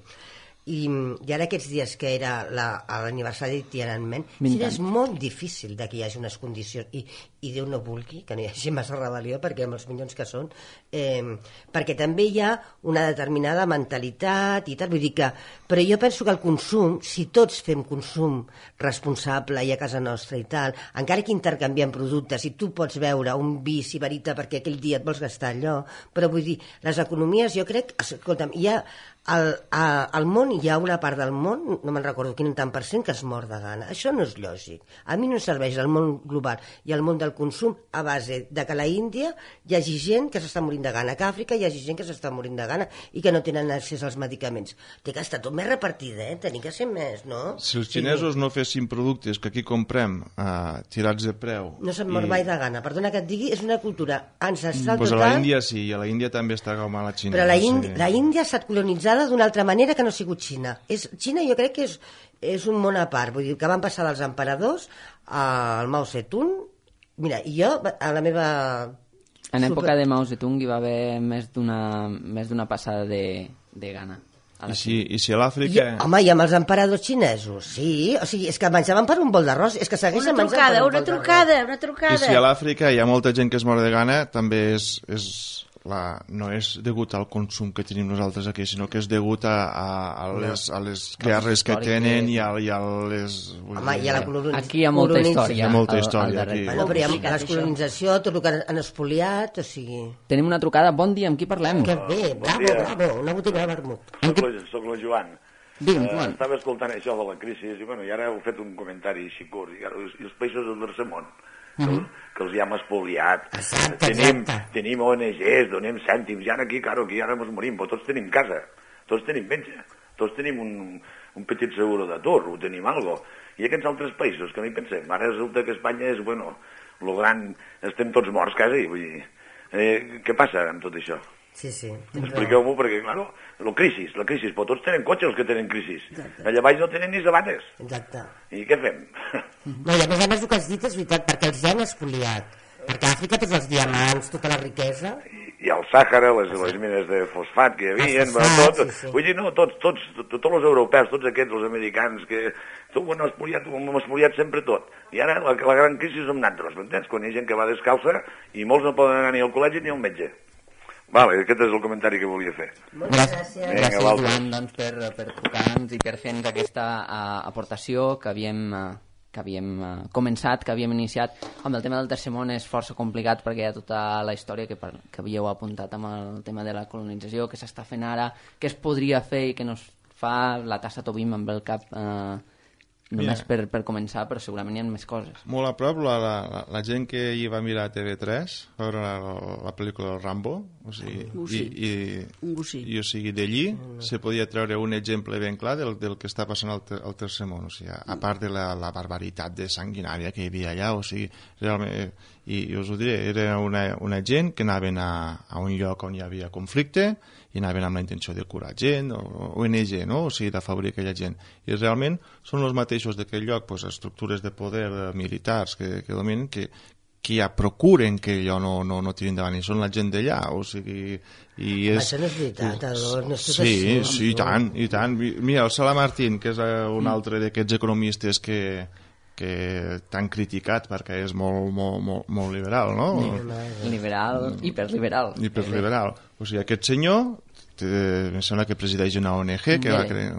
I, i ara aquests dies que era l'aniversari de Tiananmen, Xina és molt difícil de que hi hagi unes condicions i, i Déu no vulgui que no hi hagi massa rebel·lió perquè amb els milions que són eh, perquè també hi ha una determinada mentalitat i tal, vull dir que, però jo penso que el consum, si tots fem consum responsable i a casa nostra i tal, encara que intercanviem productes i tu pots veure un vi sibarita perquè aquell dia et vols gastar allò, però vull dir, les economies jo crec, escolta'm, hi ha Al, a, al món hi ha una part del món, no me'n recordo quin tant per cent, que es mor de gana. Això no és lògic. A mi no em serveix el món global i el món del consum a base de que a la Índia hi hagi gent que s'està morint de gana, que a Àfrica hi hagi gent que s'està morint de gana i que no tenen accés als medicaments. Té que estar tot més repartidet, tenim que ser més, no? Si els xinesos sí. no fessin productes que aquí comprem uh, tirats de preu... No se'n mor i... mai de gana. Perdona que et digui, és una cultura ancestral pues total... A la Índia sí, i a la Índia també està com a la Xina. Però la, no Índia, sé. la Índia ha estat colonitzada d'una altra manera que no ha sigut Xina. És, Xina jo crec que és, és un món a part, vull dir que van passar dels emperadors al Mao Zedong. Mira, i jo, a la meva... En època de Mao Zedong hi va haver més d'una més d'una passada de, de gana. I si, i si a l'Àfrica... I, home, i amb els emperadors xinesos, sí. O sigui, és que menjaven per un bol d'arròs. És que segueixen Una menjant trucada, per un una bol d'arròs. trucada, una trucada. I si a l'Àfrica hi ha molta gent que es mor de gana, també és, és la, no és degut al consum que tenim nosaltres aquí, sinó que és degut a, a, a, les, a les guerres que tenen i a, i a les... Home, i a la colonització. Aquí hi ha molta història. Hi ha molta al- al història, darrere. aquí. Bueno, però hi ha la descolonització, tot el que han espoliat, o sigui... Tenim una trucada. Bon dia, amb qui parlem? Que bé, bravo, dia. bravo, una botiga de vermut. Soc la, soc la Joan. Digue'm, Eh, Joan. estava escoltant això de la crisi i, bueno, i ara heu fet un comentari així curt. I, ara, els, i els països del tercer món, que, uh -huh. que els hi hem espoliat. Exacte, tenim, exacte. tenim O N Ges, donem cèntims, i ara aquí, claro, aquí ara ens morim, però tots tenim casa, tots tenim menja, tots tenim un, un petit seguro d'atur, ho tenim algo. I aquests altres països, que no hi pensem, ara resulta que Espanya és, bueno, lo gran, estem tots morts quasi, vull dir, eh, què passa amb tot això? Sí, sí. Expliqueu-m'ho, perquè, claro, la crisi, la crisi, però tots tenen cotxe els que tenen crisi. Allà baix no tenen ni sabates. Exacte. I què fem? No, i a més a més el que has dit és veritat, perquè els ja han espoliat. Perquè a Àfrica tots els diamants, tota la riquesa... I al Sàhara, les, les mines de fosfat que hi havia, El fosfat, tot, sí, sí. vull dir, no, tots, tots, tots els europeus, tots aquests, els americans, que tot ho han espoliat, ho hem espoliat sempre tot. I ara la, la gran crisi som nosaltres, m'entens? Quan hi ha gent que va descalça i molts no poden anar ni al col·legi ni al metge. Vale, aquest és el comentari que volia fer. Moltes gràcies. Vinga, Gràcies, l'altre. Joan, doncs, per, per trucar-nos i per fer-nos aquesta uh, aportació que havíem, uh, que havíem uh, començat, que havíem iniciat. Amb el tema del tercer món és força complicat perquè hi ha tota la història que, per, que havíeu apuntat amb el tema de la colonització, que s'està fent ara, què es podria fer i que no es fa. La tassa Tobim amb el cap uh, només Mira. per, per començar, però segurament hi ha més coses. Molt a prop, la, la, la gent que hi va mirar a T V tres, va veure la, la pel·lícula del Rambo, o sigui, Un i, gosí. i, Un gosí. i o sigui, d'allí se podia treure un exemple ben clar del, del que està passant al, ter, al tercer món, o sigui, a part de la, la barbaritat de sanguinària que hi havia allà, o sigui, realment, eh, i, i us ho diré, era una, una gent que anaven a, a un lloc on hi havia conflicte i anaven amb la intenció de curar gent, o O N G, no? O sigui, d'afavorir aquella gent. I realment són els mateixos d'aquell lloc, doncs, estructures de poder eh, militars que, que dominen, que, que ja procuren que allò no, no, no tiri endavant, i són la gent d'allà, o sigui... I és... Això no és veritat, Ador, no és tot sí, així. sí, i tant, i tant. Mira, el Sala Martín, que és eh, un altre d'aquests economistes que, que t'han criticat perquè és molt, molt, molt, molt liberal, no? Liberal, hiperliberal. Hiperliberal. O sigui, aquest senyor, té, em sembla que presideix una O N G, que va crear,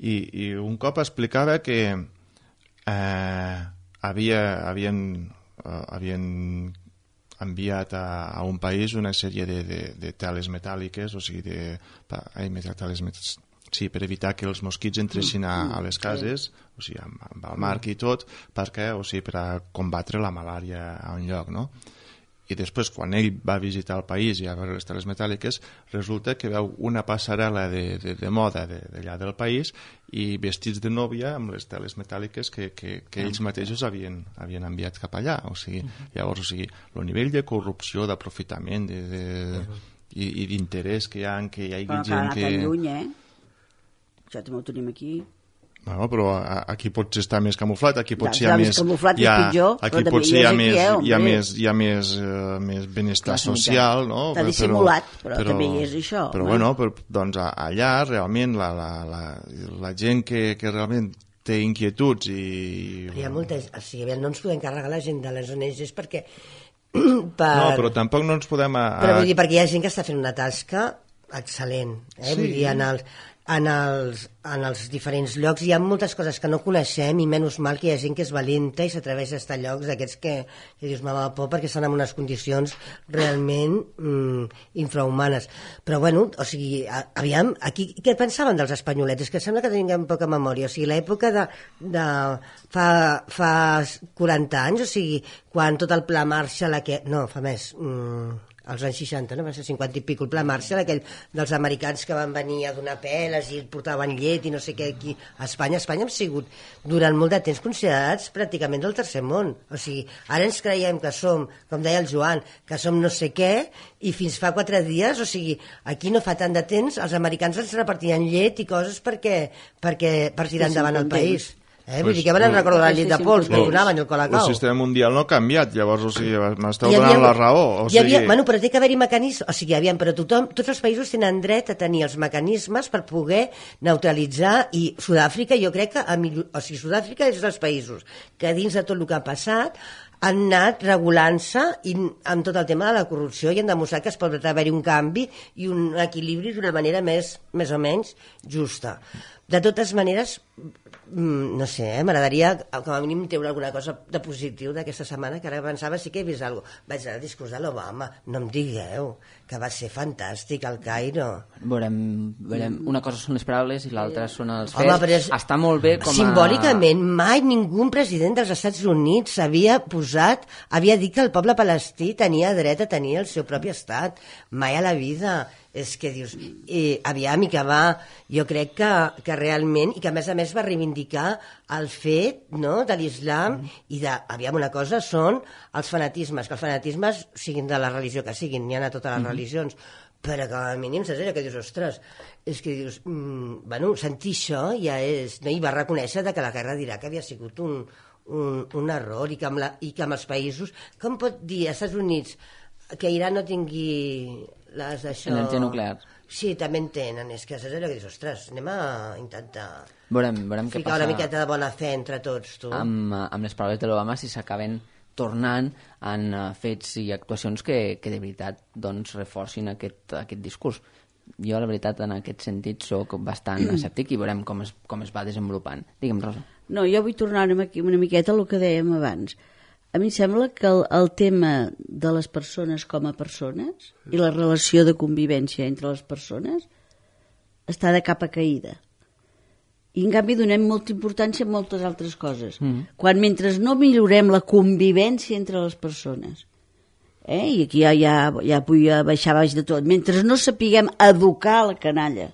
i, i un cop explicava que eh, havia, havien, eh, havien enviat a, a un país una sèrie de, de, de teles metàl·liques, o sigui, de, pa, ai, teles metàl·liques, sí, per evitar que els mosquits entressin a, a les cases, o sigui, amb, amb el marc i tot, perquè, o sigui, per a combatre la malària a un lloc, no? I després, quan ell va visitar el país i a veure les teles metàl·liques, resulta que veu una passarel·la de, de, de moda d'allà del país i vestits de nòvia amb les teles metàl·liques que, que, que ells mateixos havien, havien enviat cap allà. O sigui, llavors, o sigui, el nivell de corrupció, d'aprofitament de, de, i, i d'interès que hi ha, que hi hagi Però que ha gent anat que... tan lluny, eh? Això també ho tenim aquí. Bueno, però a- aquí potser està més camuflat, aquí potser hi Ja, ha més més... camuflat hi ha, és pitjor, aquí però també potser hi hi ha és aquí, més, eh, hi ha hombre. més, hi ha més, uh, més benestar Classe social, no? Està dissimulat, però també hi és això, Però home. bueno, però, doncs a- allà realment la, la, la, la gent que, que realment té inquietuds i... Però hi ha molta... O sigui, no ens podem carregar la gent de les O N Ges perquè... per... No, però tampoc no ens podem... A, a... Però vull dir, perquè hi ha gent que està fent una tasca excel·lent, eh? Sí. Vull dir, en els, en, els, en els diferents llocs hi ha moltes coses que no coneixem i menys mal que hi ha gent que és valenta i s'atreveix a estar a llocs d'aquests que, que dius, m'ha por perquè estan en unes condicions realment mm, infrahumanes. Però bueno, o sigui, a, aviam, aquí què pensaven dels espanyolets? És que sembla que tinguem poca memòria. O sigui, l'època de, de fa, fa quaranta anys, o sigui, quan tot el pla Marshall, que... no, fa més... Mm, als anys seixanta, no? Va ser cinquanta i pico, el pla Marshall, aquell dels americans que van venir a donar peles i portaven llet i no sé què aquí a Espanya. A Espanya hem sigut durant molt de temps considerats pràcticament del tercer món. O sigui, ara ens creiem que som, com deia el Joan, que som no sé què, i fins fa quatre dies, o sigui, aquí no fa tant de temps, els americans ens repartien llet i coses perquè, perquè per tirar Estiguessin endavant el contents. país. Eh? Vull dir que van recordar la llet de pols que donaven el Colacao. El sistema mundial no ha canviat, llavors, o sigui, m'esteu Hi havia- donant la raó. O hi havia, sigui, bueno, però té que haver-hi mecanismes, o sigui, aviam, però tothom, tots els països tenen dret a tenir els mecanismes per poder neutralitzar, i Sud-àfrica, jo crec que, a millor, o sigui, Sud-àfrica és dels països que dins de tot el que ha passat han anat regulant-se i amb tot el tema de la corrupció i han demostrat que es pot haver-hi un canvi i un equilibri d'una manera més, més o menys justa. De totes maneres, no sé, eh, m'agradaria com a mínim treure alguna cosa de positiu d'aquesta setmana, que ara pensava sí que he vist alguna cosa. Vaig anar al discurs de l'Obama, no em digueu, que va ser fantàstic al Cairo. Veurem, veurem. Una cosa són les paraules i l'altra són els fets. Home, però és- Està molt bé com a... Simbòlicament, mai ningú president dels Estats Units havia posat, havia dit que el poble palestí tenia dret a tenir el seu propi estat. Mai a la vida. És que dius, eh, aviam, i que va, jo crec que, que realment, i que a més a més va reivindicar el fet, no?, de l'islam, mm. i de, aviam, una cosa són els fanatismes, que els fanatismes siguin de la religió que siguin, n'hi ha a totes les mm. religions, però com a mínim saps allò que dius, ostres, és que dius, mm, bueno, sentir això ja és, no? I va reconèixer de que la guerra d'Iraq havia sigut un, un, un error, i que, amb la, i que amb els països, com pot dir als Estats Units que Iran no tingui les d'això... Energia nuclear. Sí, també en tenen, és que saps allò que dius, ostres, anem a intentar Veurem, veurem què ficar passa una miqueta de bona fe entre tots, tu. amb, amb les paraules de l'Obama, si s'acaben tornant en uh, fets i actuacions que, que de veritat doncs, reforcin aquest, aquest discurs. Jo, la veritat, en aquest sentit, sóc bastant escèptic i veurem com es, com es va desenvolupant. Digue'm, Rosa. No, jo vull tornar una, una miqueta al que dèiem abans. A mi em sembla que el, el tema de les persones com a persones i la relació de convivència entre les persones està de capa caïda. I, en canvi, donem molta importància a moltes altres coses. Mm. Quan mentre no millorem la convivència entre les persones, eh? I aquí ja, ja, ja vull baixar baix de tot, mentre no sapiguem educar la canalla,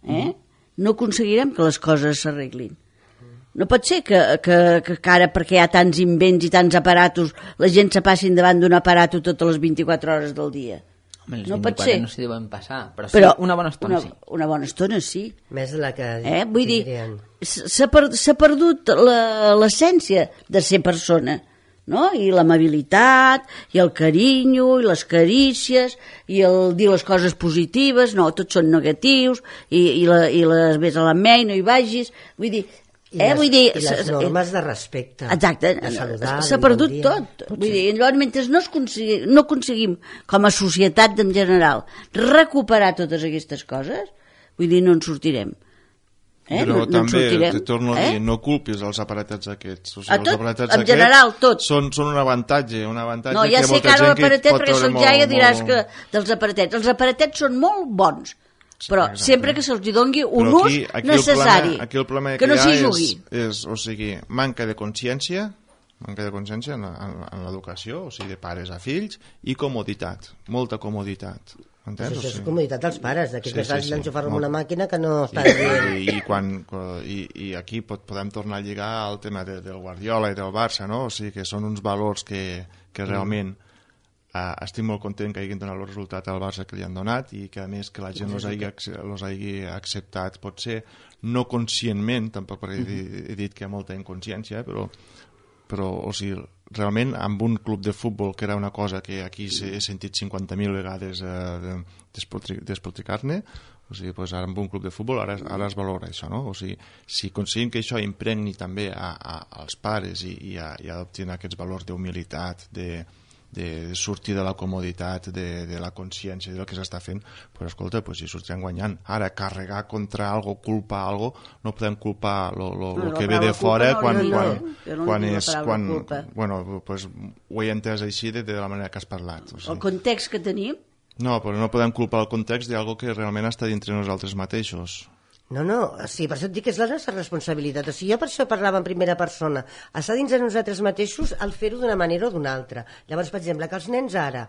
eh? Mm. no aconseguirem que les coses s'arreglin. No pot ser que, que, que, que ara, perquè hi ha tants invents i tants aparatos, la gent se passin davant d'un aparato totes les vint-i-quatre hores del dia. Home, les no pot vint-i-quatre ser. no s'hi deuen passar, però, sí, Però una bona estona una, sí. Una bona estona sí. Més de la que Eh? Vull dir, tindrien. s'ha per, s'ha perdut la- l'essència de ser persona, no? I l'amabilitat, i el carinyo, i les carícies, i el dir les coses positives, no, tots són negatius, i, i, la, i les ves a la mei, no hi vagis, vull dir... I, eh, les, vull dir, i les normes de respecte. Exacte, de saludar, s'ha de perdut bon dia. tot. Vull dir, llavors, mentre no, es consegui, no aconseguim, com a societat en general, recuperar totes aquestes coses, vull dir, no en sortirem. Eh? Però no, no també, sortirem, te torno a eh? dir, no culpis els aparatats aquests. O sigui, A tot, els aparatats en general, tot. Són, són un avantatge, un avantatge No, ja que sé molta que ara gent que l'aparatet, pot perquè treure soc molt, jaia, diràs molt... que dels aparatets. Els aparatets són molt bons, però exacte. sempre que se'ls doni un Però aquí, ús aquí necessari, el problema, aquí el problema que no hi ha s'hi és, jugui. és, o sigui, manca de consciència, manca de consciència en, en, en l'educació, o sigui, de pares a fills, i comoditat, molta comoditat. Entens? Pues això O és sigui, comoditat dels pares, d'aquí Sí, que sí, saps sí, d'enxufar-lo en molt. una màquina que no està I, dient. i, i, quan, i, i aquí pot, podem tornar a lligar al tema de, del Guardiola i del Barça, no? O sigui, que són uns valors que, que realment eh, estic molt content que hagin donat el resultat al Barça que li han donat i que a més que la gent els hagi, els hagi acceptat, potser no conscientment, tampoc perquè he, he dit que hi ha molta inconsciència, però, però o sigui, realment amb un club de futbol, que era una cosa que aquí he sentit cinquanta mil vegades eh, despotricar-ne, o sigui, pues ara amb un club de futbol ara, ara es valora això, no? O sigui, si aconseguim que això impregni també a, a, als pares i, i, a, i adoptin aquests valors d'humilitat, de, de sortir de la comoditat, de, de la consciència del que s'està fent, pues, escolta, pues, si sortirem guanyant. Ara, carregar contra algo, culpar algo, no podem culpar lo, lo, lo No, que la ve de paraula fora culpa no quan, la dic, quan, eh? Jo no quan dic la és... paraula Quan, culpa. bueno, pues, ho he entès així de, de la manera que has parlat. O El sigui. context que tenim, No, però no podem culpar el context d'algo que realment està dintre nosaltres mateixos. No, no, sí, per això et dic que és la nostra responsabilitat. O sigui, jo per això parlava en primera persona. Està dins de nosaltres mateixos el fer-ho d'una manera o d'una altra. Llavors, per exemple, que els nens ara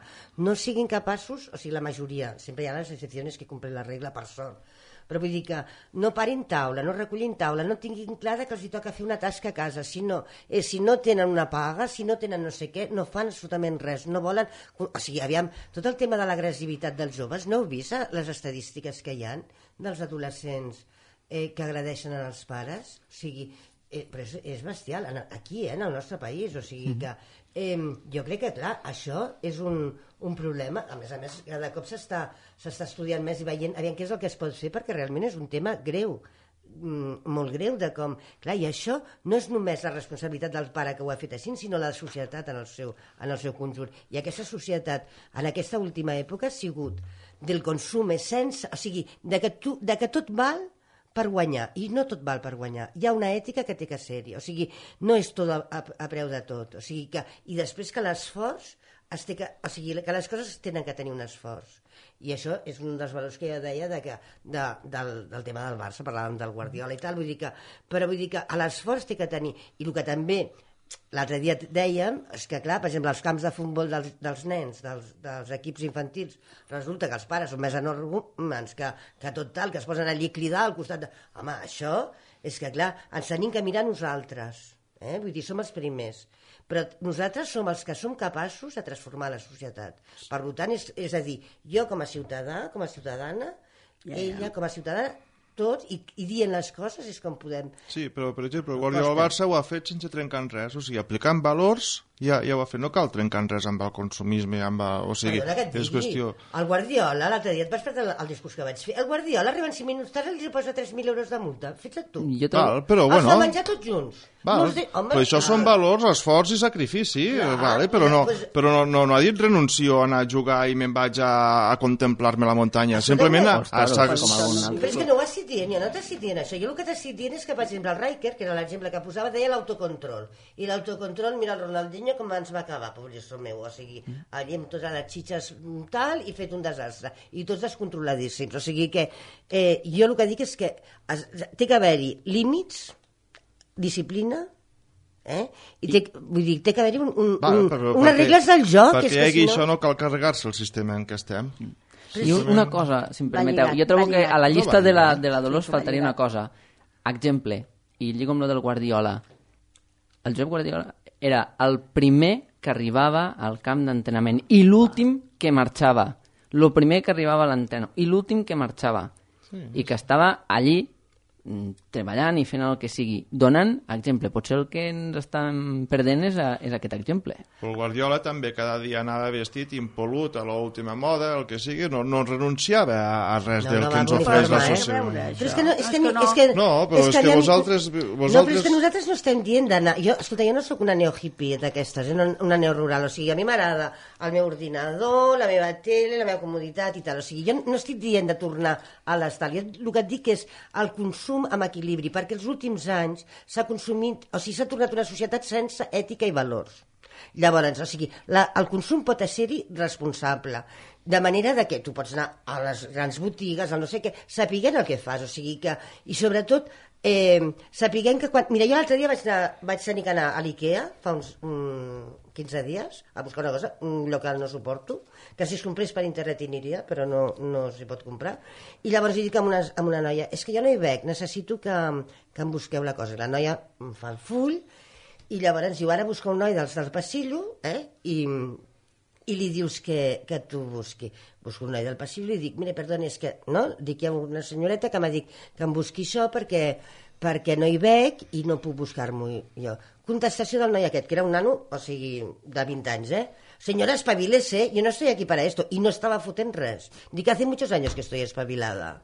no siguin capaços, o sigui, la majoria, sempre hi ha les excepcions que complen la regla, per sort, però vull dir que no parin taula, no recullin taula, no tinguin clar que els hi toca fer una tasca a casa, si no, eh, si no tenen una paga, si no tenen no sé què, no fan absolutament res, no volen... O sigui, aviam, tot el tema de l'agressivitat dels joves, no heu vist eh, les estadístiques que hi ha dels adolescents eh, que agradeixen als pares? O sigui, Eh, però és, és bestial, aquí, eh, en el nostre país, o sigui que eh, jo crec que, clar, això és un, un problema, a més a més, cada cop s'està s'està estudiant més i veient, aviam què és el que es pot fer, perquè realment és un tema greu, mm, molt greu, de com, clar, i això no és només la responsabilitat del pare que ho ha fet així, sinó la societat en el seu, en el seu conjunt, i aquesta societat, en aquesta última època, ha sigut del consum sense, o sigui, de que, tu, de que tot val per guanyar, i no tot val per guanyar, hi ha una ètica que té que ser-hi, o sigui, no és tot a, a, a preu de tot, o sigui que, i després que l'esforç es té que, o sigui, que les coses tenen que tenir un esforç, i això és un dels valors que jo deia de que, de, del, del tema del Barça, parlàvem del Guardiola i tal, vull dir que, però vull dir que l'esforç té que tenir, i el que també l'altre dia dèiem, és que clar, per exemple, els camps de futbol dels, dels nens, dels, dels equips infantils, resulta que els pares són més enormes que, que tot tal, que es posen allí a cridar al costat de... Home, això és que clar, ens tenim que mirar nosaltres, eh? Vull dir, som els primers, però nosaltres som els que som capaços de transformar la societat. Per tant, és, és a dir, jo com a ciutadà, com a ciutadana, ja, ja. ella com a ciutadana, tot, i, i dient les coses és com podem... Sí, però per exemple, el Guardiola del Barça ho ha fet sense trencar res, o sigui, aplicant valors ja, ja ho ha fet, no cal trencar res amb el consumisme, amb el, o sigui, és qüestió... El Guardiola, l'altre dia et vas perdre el, el discurs que vaig fer, el Guardiola arriba en cinc minuts tard i li posa tres mil euros de multa, fets tu. Jo Val, però bueno... Els va menjar tots junts. Val, de... Home, però això val. Són valors, esforç i sacrifici, clar, vale, però, no, pues... però no, no, no ha dit renuncio a anar a jugar i me'n vaig a, a contemplar-me la muntanya, simplement a... a, a, a, a però és que no ho has dit dient, jo no t'has dit dient això, jo el que t'has dit dient és que, per exemple, el Riker, que era l'exemple que posava, deia l'autocontrol, i l'autocontrol, mira el Ronaldinho com ens va acabar, pobrecito meu, o sigui, allí amb totes les xitxes tal, i fet un desastre, i tots descontroladíssims, o sigui que eh, jo el que dic és que es, té que haver-hi límits, disciplina, eh? I té, vull dir, té que haver-hi un, un, Va, un, però, unes perquè, regles del joc. Perquè és hi hagi que si això no... no cal carregar-se el sistema en què estem. I una cosa, si em permeteu, jo trobo que a la llista de la, de la Dolors faltaria una cosa. Exemple, i lligo amb lo del Guardiola. El Josep Guardiola era el primer que arribava al camp d'entrenament i l'últim que marxava. El primer que arribava a l'entreno i l'últim que marxava. Sí. I que estava allí treballant i fent el que sigui, donant exemple. Potser el que ens estem perdent és, a, és aquest exemple. El Guardiola també cada dia anava vestit impol·lut a l'última moda, el que sigui, no, no renunciava a, a res no, del no que ens ofereix la societat. Però és que no, és que, no, és que, no, però és que, és que vosaltres, vosaltres... No, però és que nosaltres no estem dient d'anar... Jo, escolta, jo no sóc una neo-hippie d'aquestes, eh? Una neo-rural, o sigui, a mi m'agrada el meu ordinador, la meva tele, la meva comoditat i tal, o sigui, jo no estic dient de tornar a l'estal, jo el que et dic és el consum amb equilibri, perquè els últims anys s'ha consumit, o sigui, s'ha tornat una societat sense ètica i valors. Llavors, o sigui, la, el consum pot ser-hi responsable, de manera de que tu pots anar a les grans botigues, al no sé què, sapiguent el que fas, o sigui que, i sobretot, eh, sapiguent que quan... Mira, jo l'altre dia vaig, anar, vaig tenir que anar a l'IKEA, fa uns mm, quinze dies, a buscar una cosa, un lloc que no suporto, que si es comprés per internet hi aniria, però no, no s'hi pot comprar, i llavors hi dic amb una, amb una noia, és que jo no hi veig, necessito que, que em busqueu la cosa. La noia em fa el full, i llavors diu, ara busca un noi dels del passillo, eh, i... i li dius que, que tu busqui. Busco un noi del passillo i li dic, mira, perdona, és que, no? Dic, hi ha una senyoreta que m'ha dit que em busqui això perquè, perquè no hi veig i no puc buscar-m'ho jo. Contestació del noi aquest, que era un nano, o sigui, de vint anys, eh? Senyora, espabilese, yo no estoy aquí para esto. I no estava fotent res. Dic, hace muchos años que estoy espabilada.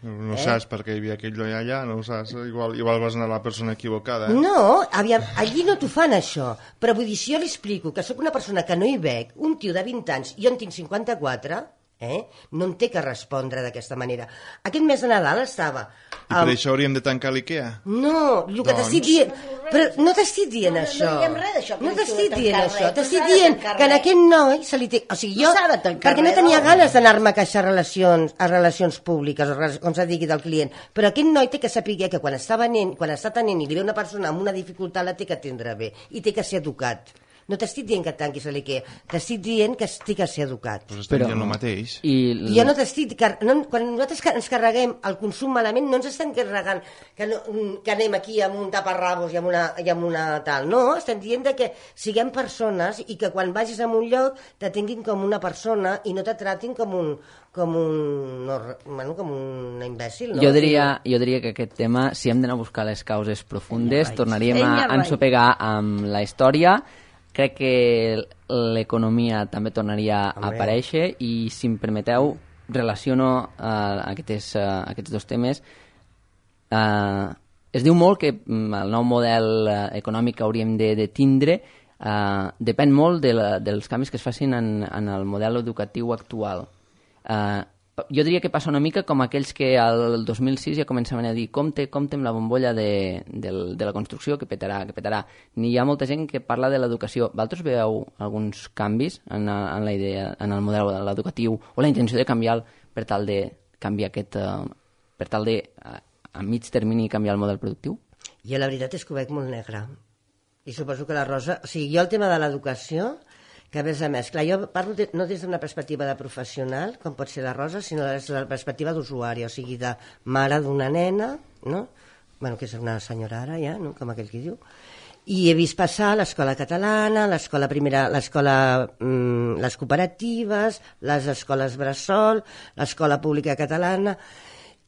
No eh? saps per què hi havia aquell noi allà, no ho saps, igual, igual vas anar a la persona equivocada. Eh? No, aviam, allí no t'ho fan això, però vull dir, si jo li explico que sóc una persona que no hi veig, un tio de vint anys, jo en tinc cinquanta-quatre, eh? No en té que respondre d'aquesta manera. Aquest mes de Nadal estava... I per um... això hauríem de tancar l'IKEA? No, el que doncs... t'estic dient... Però no t'estic dient no, això. No diem res d'això. No t'estic dient això. T'estic dient que en aquest noi se li té... O sigui, jo... No perquè no tenia ganes d'anar-me a queixar relacions, a relacions públiques, o com se digui del client. Però aquest noi té que saber que quan està venent, quan està tenint i li ve una persona amb una dificultat la té que atendre bé i té que ser educat. no t'estic dient que et tanquis a l'IKEA, t'estic dient que estic a ser educat. Però estem dient el mateix. I... I jo no t'estic... Car... No, quan nosaltres ens carreguem el consum malament, no ens estem carregant que, no, que anem aquí amb un taparrabos i amb una, i amb una tal. No, estem dient de que siguem persones i que quan vagis a un lloc te tinguin com una persona i no te tratin com un, com un, no, bueno, com un imbècil. No? Jo, diria, jo diria que aquest tema, si hem d'anar a buscar les causes profundes, tornaríem a ensopegar amb la història. Crec que l'economia també tornaria a aparèixer i, si em permeteu, relaciono uh, aquests, uh, aquests dos temes. Uh, es diu molt que el nou model uh, econòmic que hauríem de, de tindre uh, depèn molt de la, dels canvis que es facin en, en el model educatiu actual. Uh, jo diria que passa una mica com aquells que al dos mil sis ja començaven a dir compte, compte amb la bombolla de, de, de la construcció que petarà, que petarà. Ni hi ha molta gent que parla de l'educació. Vosaltres veieu alguns canvis en, en la idea, en el model educatiu o la intenció de canviar per tal de canviar aquest, uh, per tal de uh, a mig termini canviar el model productiu? Jo la veritat és que ho veig molt negre. I suposo que la Rosa... O sigui, jo el tema de l'educació, que a més a més, clar, jo parlo de, no des d'una perspectiva de professional, com pot ser la Rosa, sinó des de la perspectiva d'usuari, o sigui, de mare d'una nena, no? Bueno, que és una senyora ara ja, no? Com aquell que diu. I he vist passar l'escola catalana, l'escola primera, l'escola, mmm, les cooperatives, les escoles bressol, l'escola pública catalana,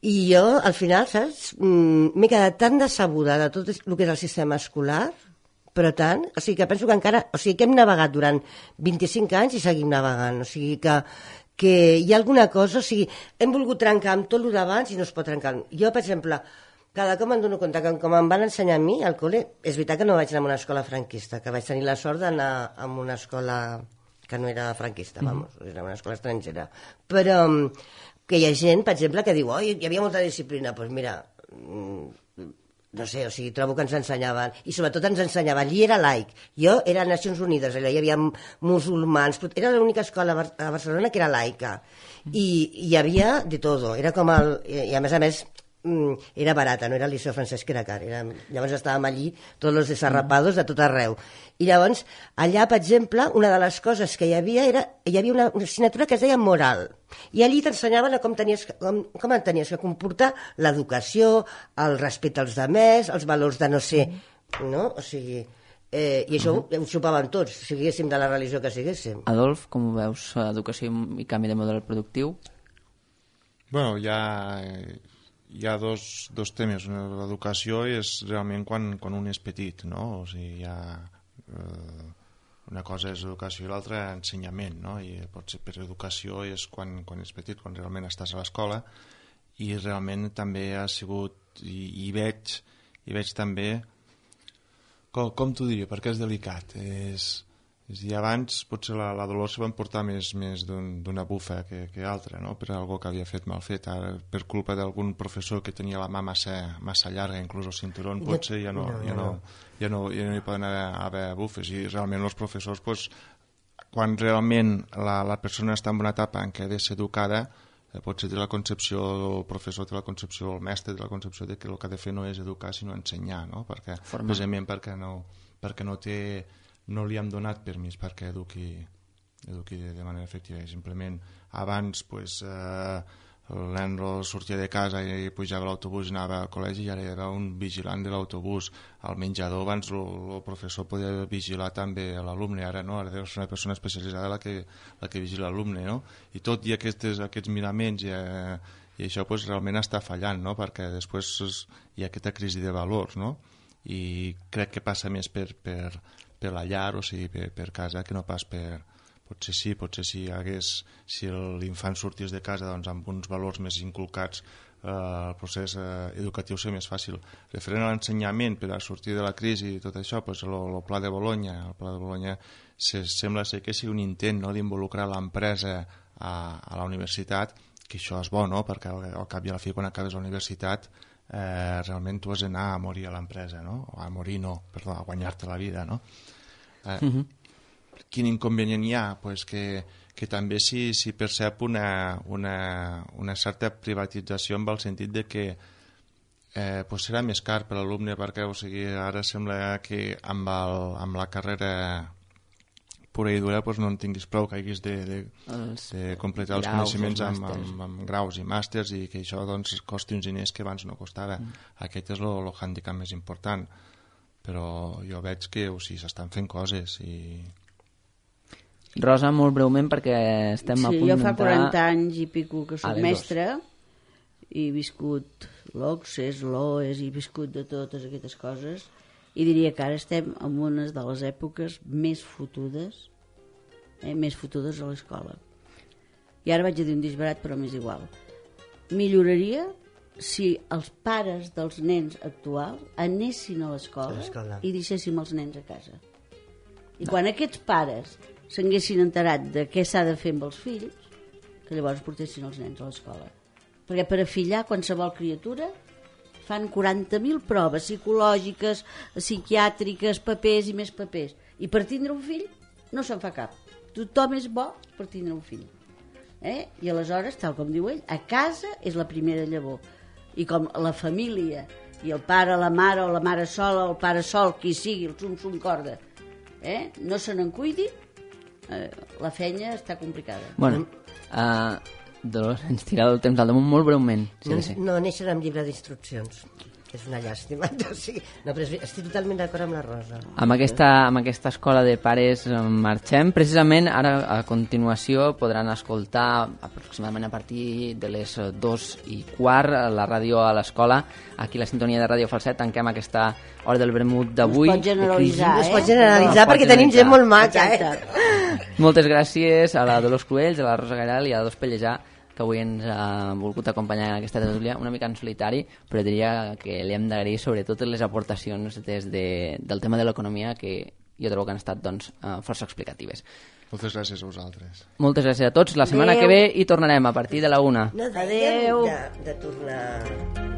i jo, al final, saps, m'he quedat tan decebuda de tot el que és el sistema escolar, però tant, o sigui que penso que encara, o sigui que hem navegat durant vint-i-cinc anys i seguim navegant, o sigui que, que hi ha alguna cosa, o sigui, hem volgut trencar amb tot el d'abans i no es pot trencar. Jo, per exemple, cada cop em dono compte que com em van ensenyar a mi al col·le, és veritat que no vaig anar a una escola franquista, que vaig tenir la sort d'anar a una escola que no era franquista, vamos, era una escola estrangera, però que hi ha gent, per exemple, que diu, oh, hi havia molta disciplina, doncs pues mira, no sé, o sigui, trobo que ens ensenyaven, i sobretot ens ensenyaven, allí era laic, jo era a Nacions Unides, allà hi havia musulmans, era l'única escola a Barcelona que era laica, i hi havia de todo, era com el, i a més a més, era barata, no era el Liceu Francesc, que era car, era, llavors estàvem allí tots els desarrapados de tot arreu, i llavors allà, per exemple, una de les coses que hi havia era, hi havia una, una assignatura que es deia moral, i allí t'ensenyaven com tenies, com, com et tenies que comportar l'educació, el respecte als demés, els valors de no ser, no? O sigui, eh, i això uh-huh. ho xupaven tots, siguéssim de la religió que siguéssim. Adolf, com ho veus, educació i canvi de model productiu? Bueno, ja... Hi ha dos, dos temes. L'educació és realment quan, quan un és petit, no? O sigui, hi ha, eh, una cosa és educació i l'altra ensenyament, no? I pot ser per educació és quan, quan és petit, quan realment estàs a l'escola, i realment també ha sigut, i, i veig, i veig també, com, com t'ho diria, perquè és delicat, és... És dir, abans potser la, la Dolors se va emportar més, més d'una un, bufa que, que altra, no? Per algo que havia fet mal fet. Ara, per culpa d'algun professor que tenia la mà massa, massa llarga, inclús el cinturón, potser ja no, ja no, ja no, ja no hi poden haver, haver bufes. I realment els professors, pues, quan realment la, la persona està en una etapa en què ha de ser educada, eh, potser té la concepció, el professor té la concepció, el mestre té la concepció de que el que ha de fer no és educar, sinó ensenyar, no? Perquè, precisament perquè no, perquè no té... no li hem donat permís perquè eduqui, eduqui de manera efectiva. Simplement abans pues, eh, el nen sortia de casa i pujava a l'autobús i anava al col·legi i ara era un vigilant de l'autobús. Al menjador abans el professor podia vigilar també l'alumne, ara no, ara és una persona especialitzada la que, la que vigila l'alumne, no? I tot i aquestes, aquests miraments i, eh, i això pues, realment està fallant, no? Perquè després hi ha aquesta crisi de valors, no? I crec que passa més per, per, per la llar, o sigui, per, per casa, que no pas per... Potser sí, potser si hagués, si l'infant sortís de casa doncs, amb uns valors més inculcats, eh, el procés eh, educatiu seria més fàcil. Referent a l'ensenyament, per a sortir de la crisi i tot això, doncs, el, el Pla de Bologna, el Pla de Bologna se, sembla ser que sigui un intent, no?, d'involucrar l'empresa a, a la universitat, que això és bo, no?, perquè al, al cap i a la fi, quan acabes la universitat, Eh, realment tu has d'anar a morir a l'empresa, no? O a morir no, perdó, a guanyar-te la vida, no? Eh, uh-huh. Quin inconvenient hi ha? Pues que, que també s'hi si percep una, una, una certa privatització en el sentit de que eh, pues serà més car per l'alumne perquè, o sigui, ara sembla que amb, el, amb la carrera pura i dura doncs no en tinguis prou, que haguis de, de, de completar els coneixements amb, amb, amb graus i màsters i que això doncs, costi uns diners que abans no costava. Mm. Aquest és el hàndicap més important. Però jo veig que o sigui, s'estan fent coses i... Rosa, molt breument, perquè estem sí, a punt d'entrar... Jo fa quaranta anys i pico que soc ah, mestra i he viscut l'Occés, l'Oes, i he viscut de totes aquestes coses, i diria que ara estem en una de les èpoques més fotudes, eh, més fotudes a l'escola. I ara vaig a dir un disbarat, però m'és igual. Milloraria si els pares dels nens actuals anessin a l'escola i deixéssim els nens a casa. I quan aquests pares s'haguessin enterat de què s'ha de fer amb els fills, que llavors portessin els nens a l'escola. Perquè per afillar qualsevol criatura fan quaranta mil proves psicològiques, psiquiàtriques, papers i més papers. I per tindre un fill no se'n fa cap. Tothom és bo per tindre un fill. Eh? I aleshores, tal com diu ell, a casa és la primera llavor. I com la família, i el pare, la mare, o la mare sola, o el pare sol, qui sigui, el sum-sum corda, eh? no se n'en cuidi, eh, la feina està complicada. Bueno, uh, Dolors, ens tireu el temps al damunt molt breument. Sí, no, sí. no neixen amb llibre d'instruccions. És una llàstima. O sigui, no, però estic totalment d'acord amb la Rosa. Amb aquesta, amb aquesta escola de pares marxem. Precisament ara, a continuació, podran escoltar aproximadament a partir de les dos i quart la ràdio a l'escola. Aquí la sintonia de Ràdio Falset. Tanquem aquesta hora del vermut d'avui. Es pot generalitzar, eh? Es pot generalitzar no, perquè tenim gent molt maca, eh? Moltes gràcies a la Dolors Cruells, a la Rosa Gairal i a la Dos Pellejà, que avui ens ha volgut acompanyar en aquesta tertúlia, una mica en solitari, però diria que li hem d'agrair sobretot les aportacions des de, del tema de l'economia, que jo trobo que han estat doncs, força explicatives. Moltes gràcies a vosaltres. Moltes gràcies a tots. La setmana Adeu. que ve hi tornarem a partir de la una. No dèiem de, de tornar...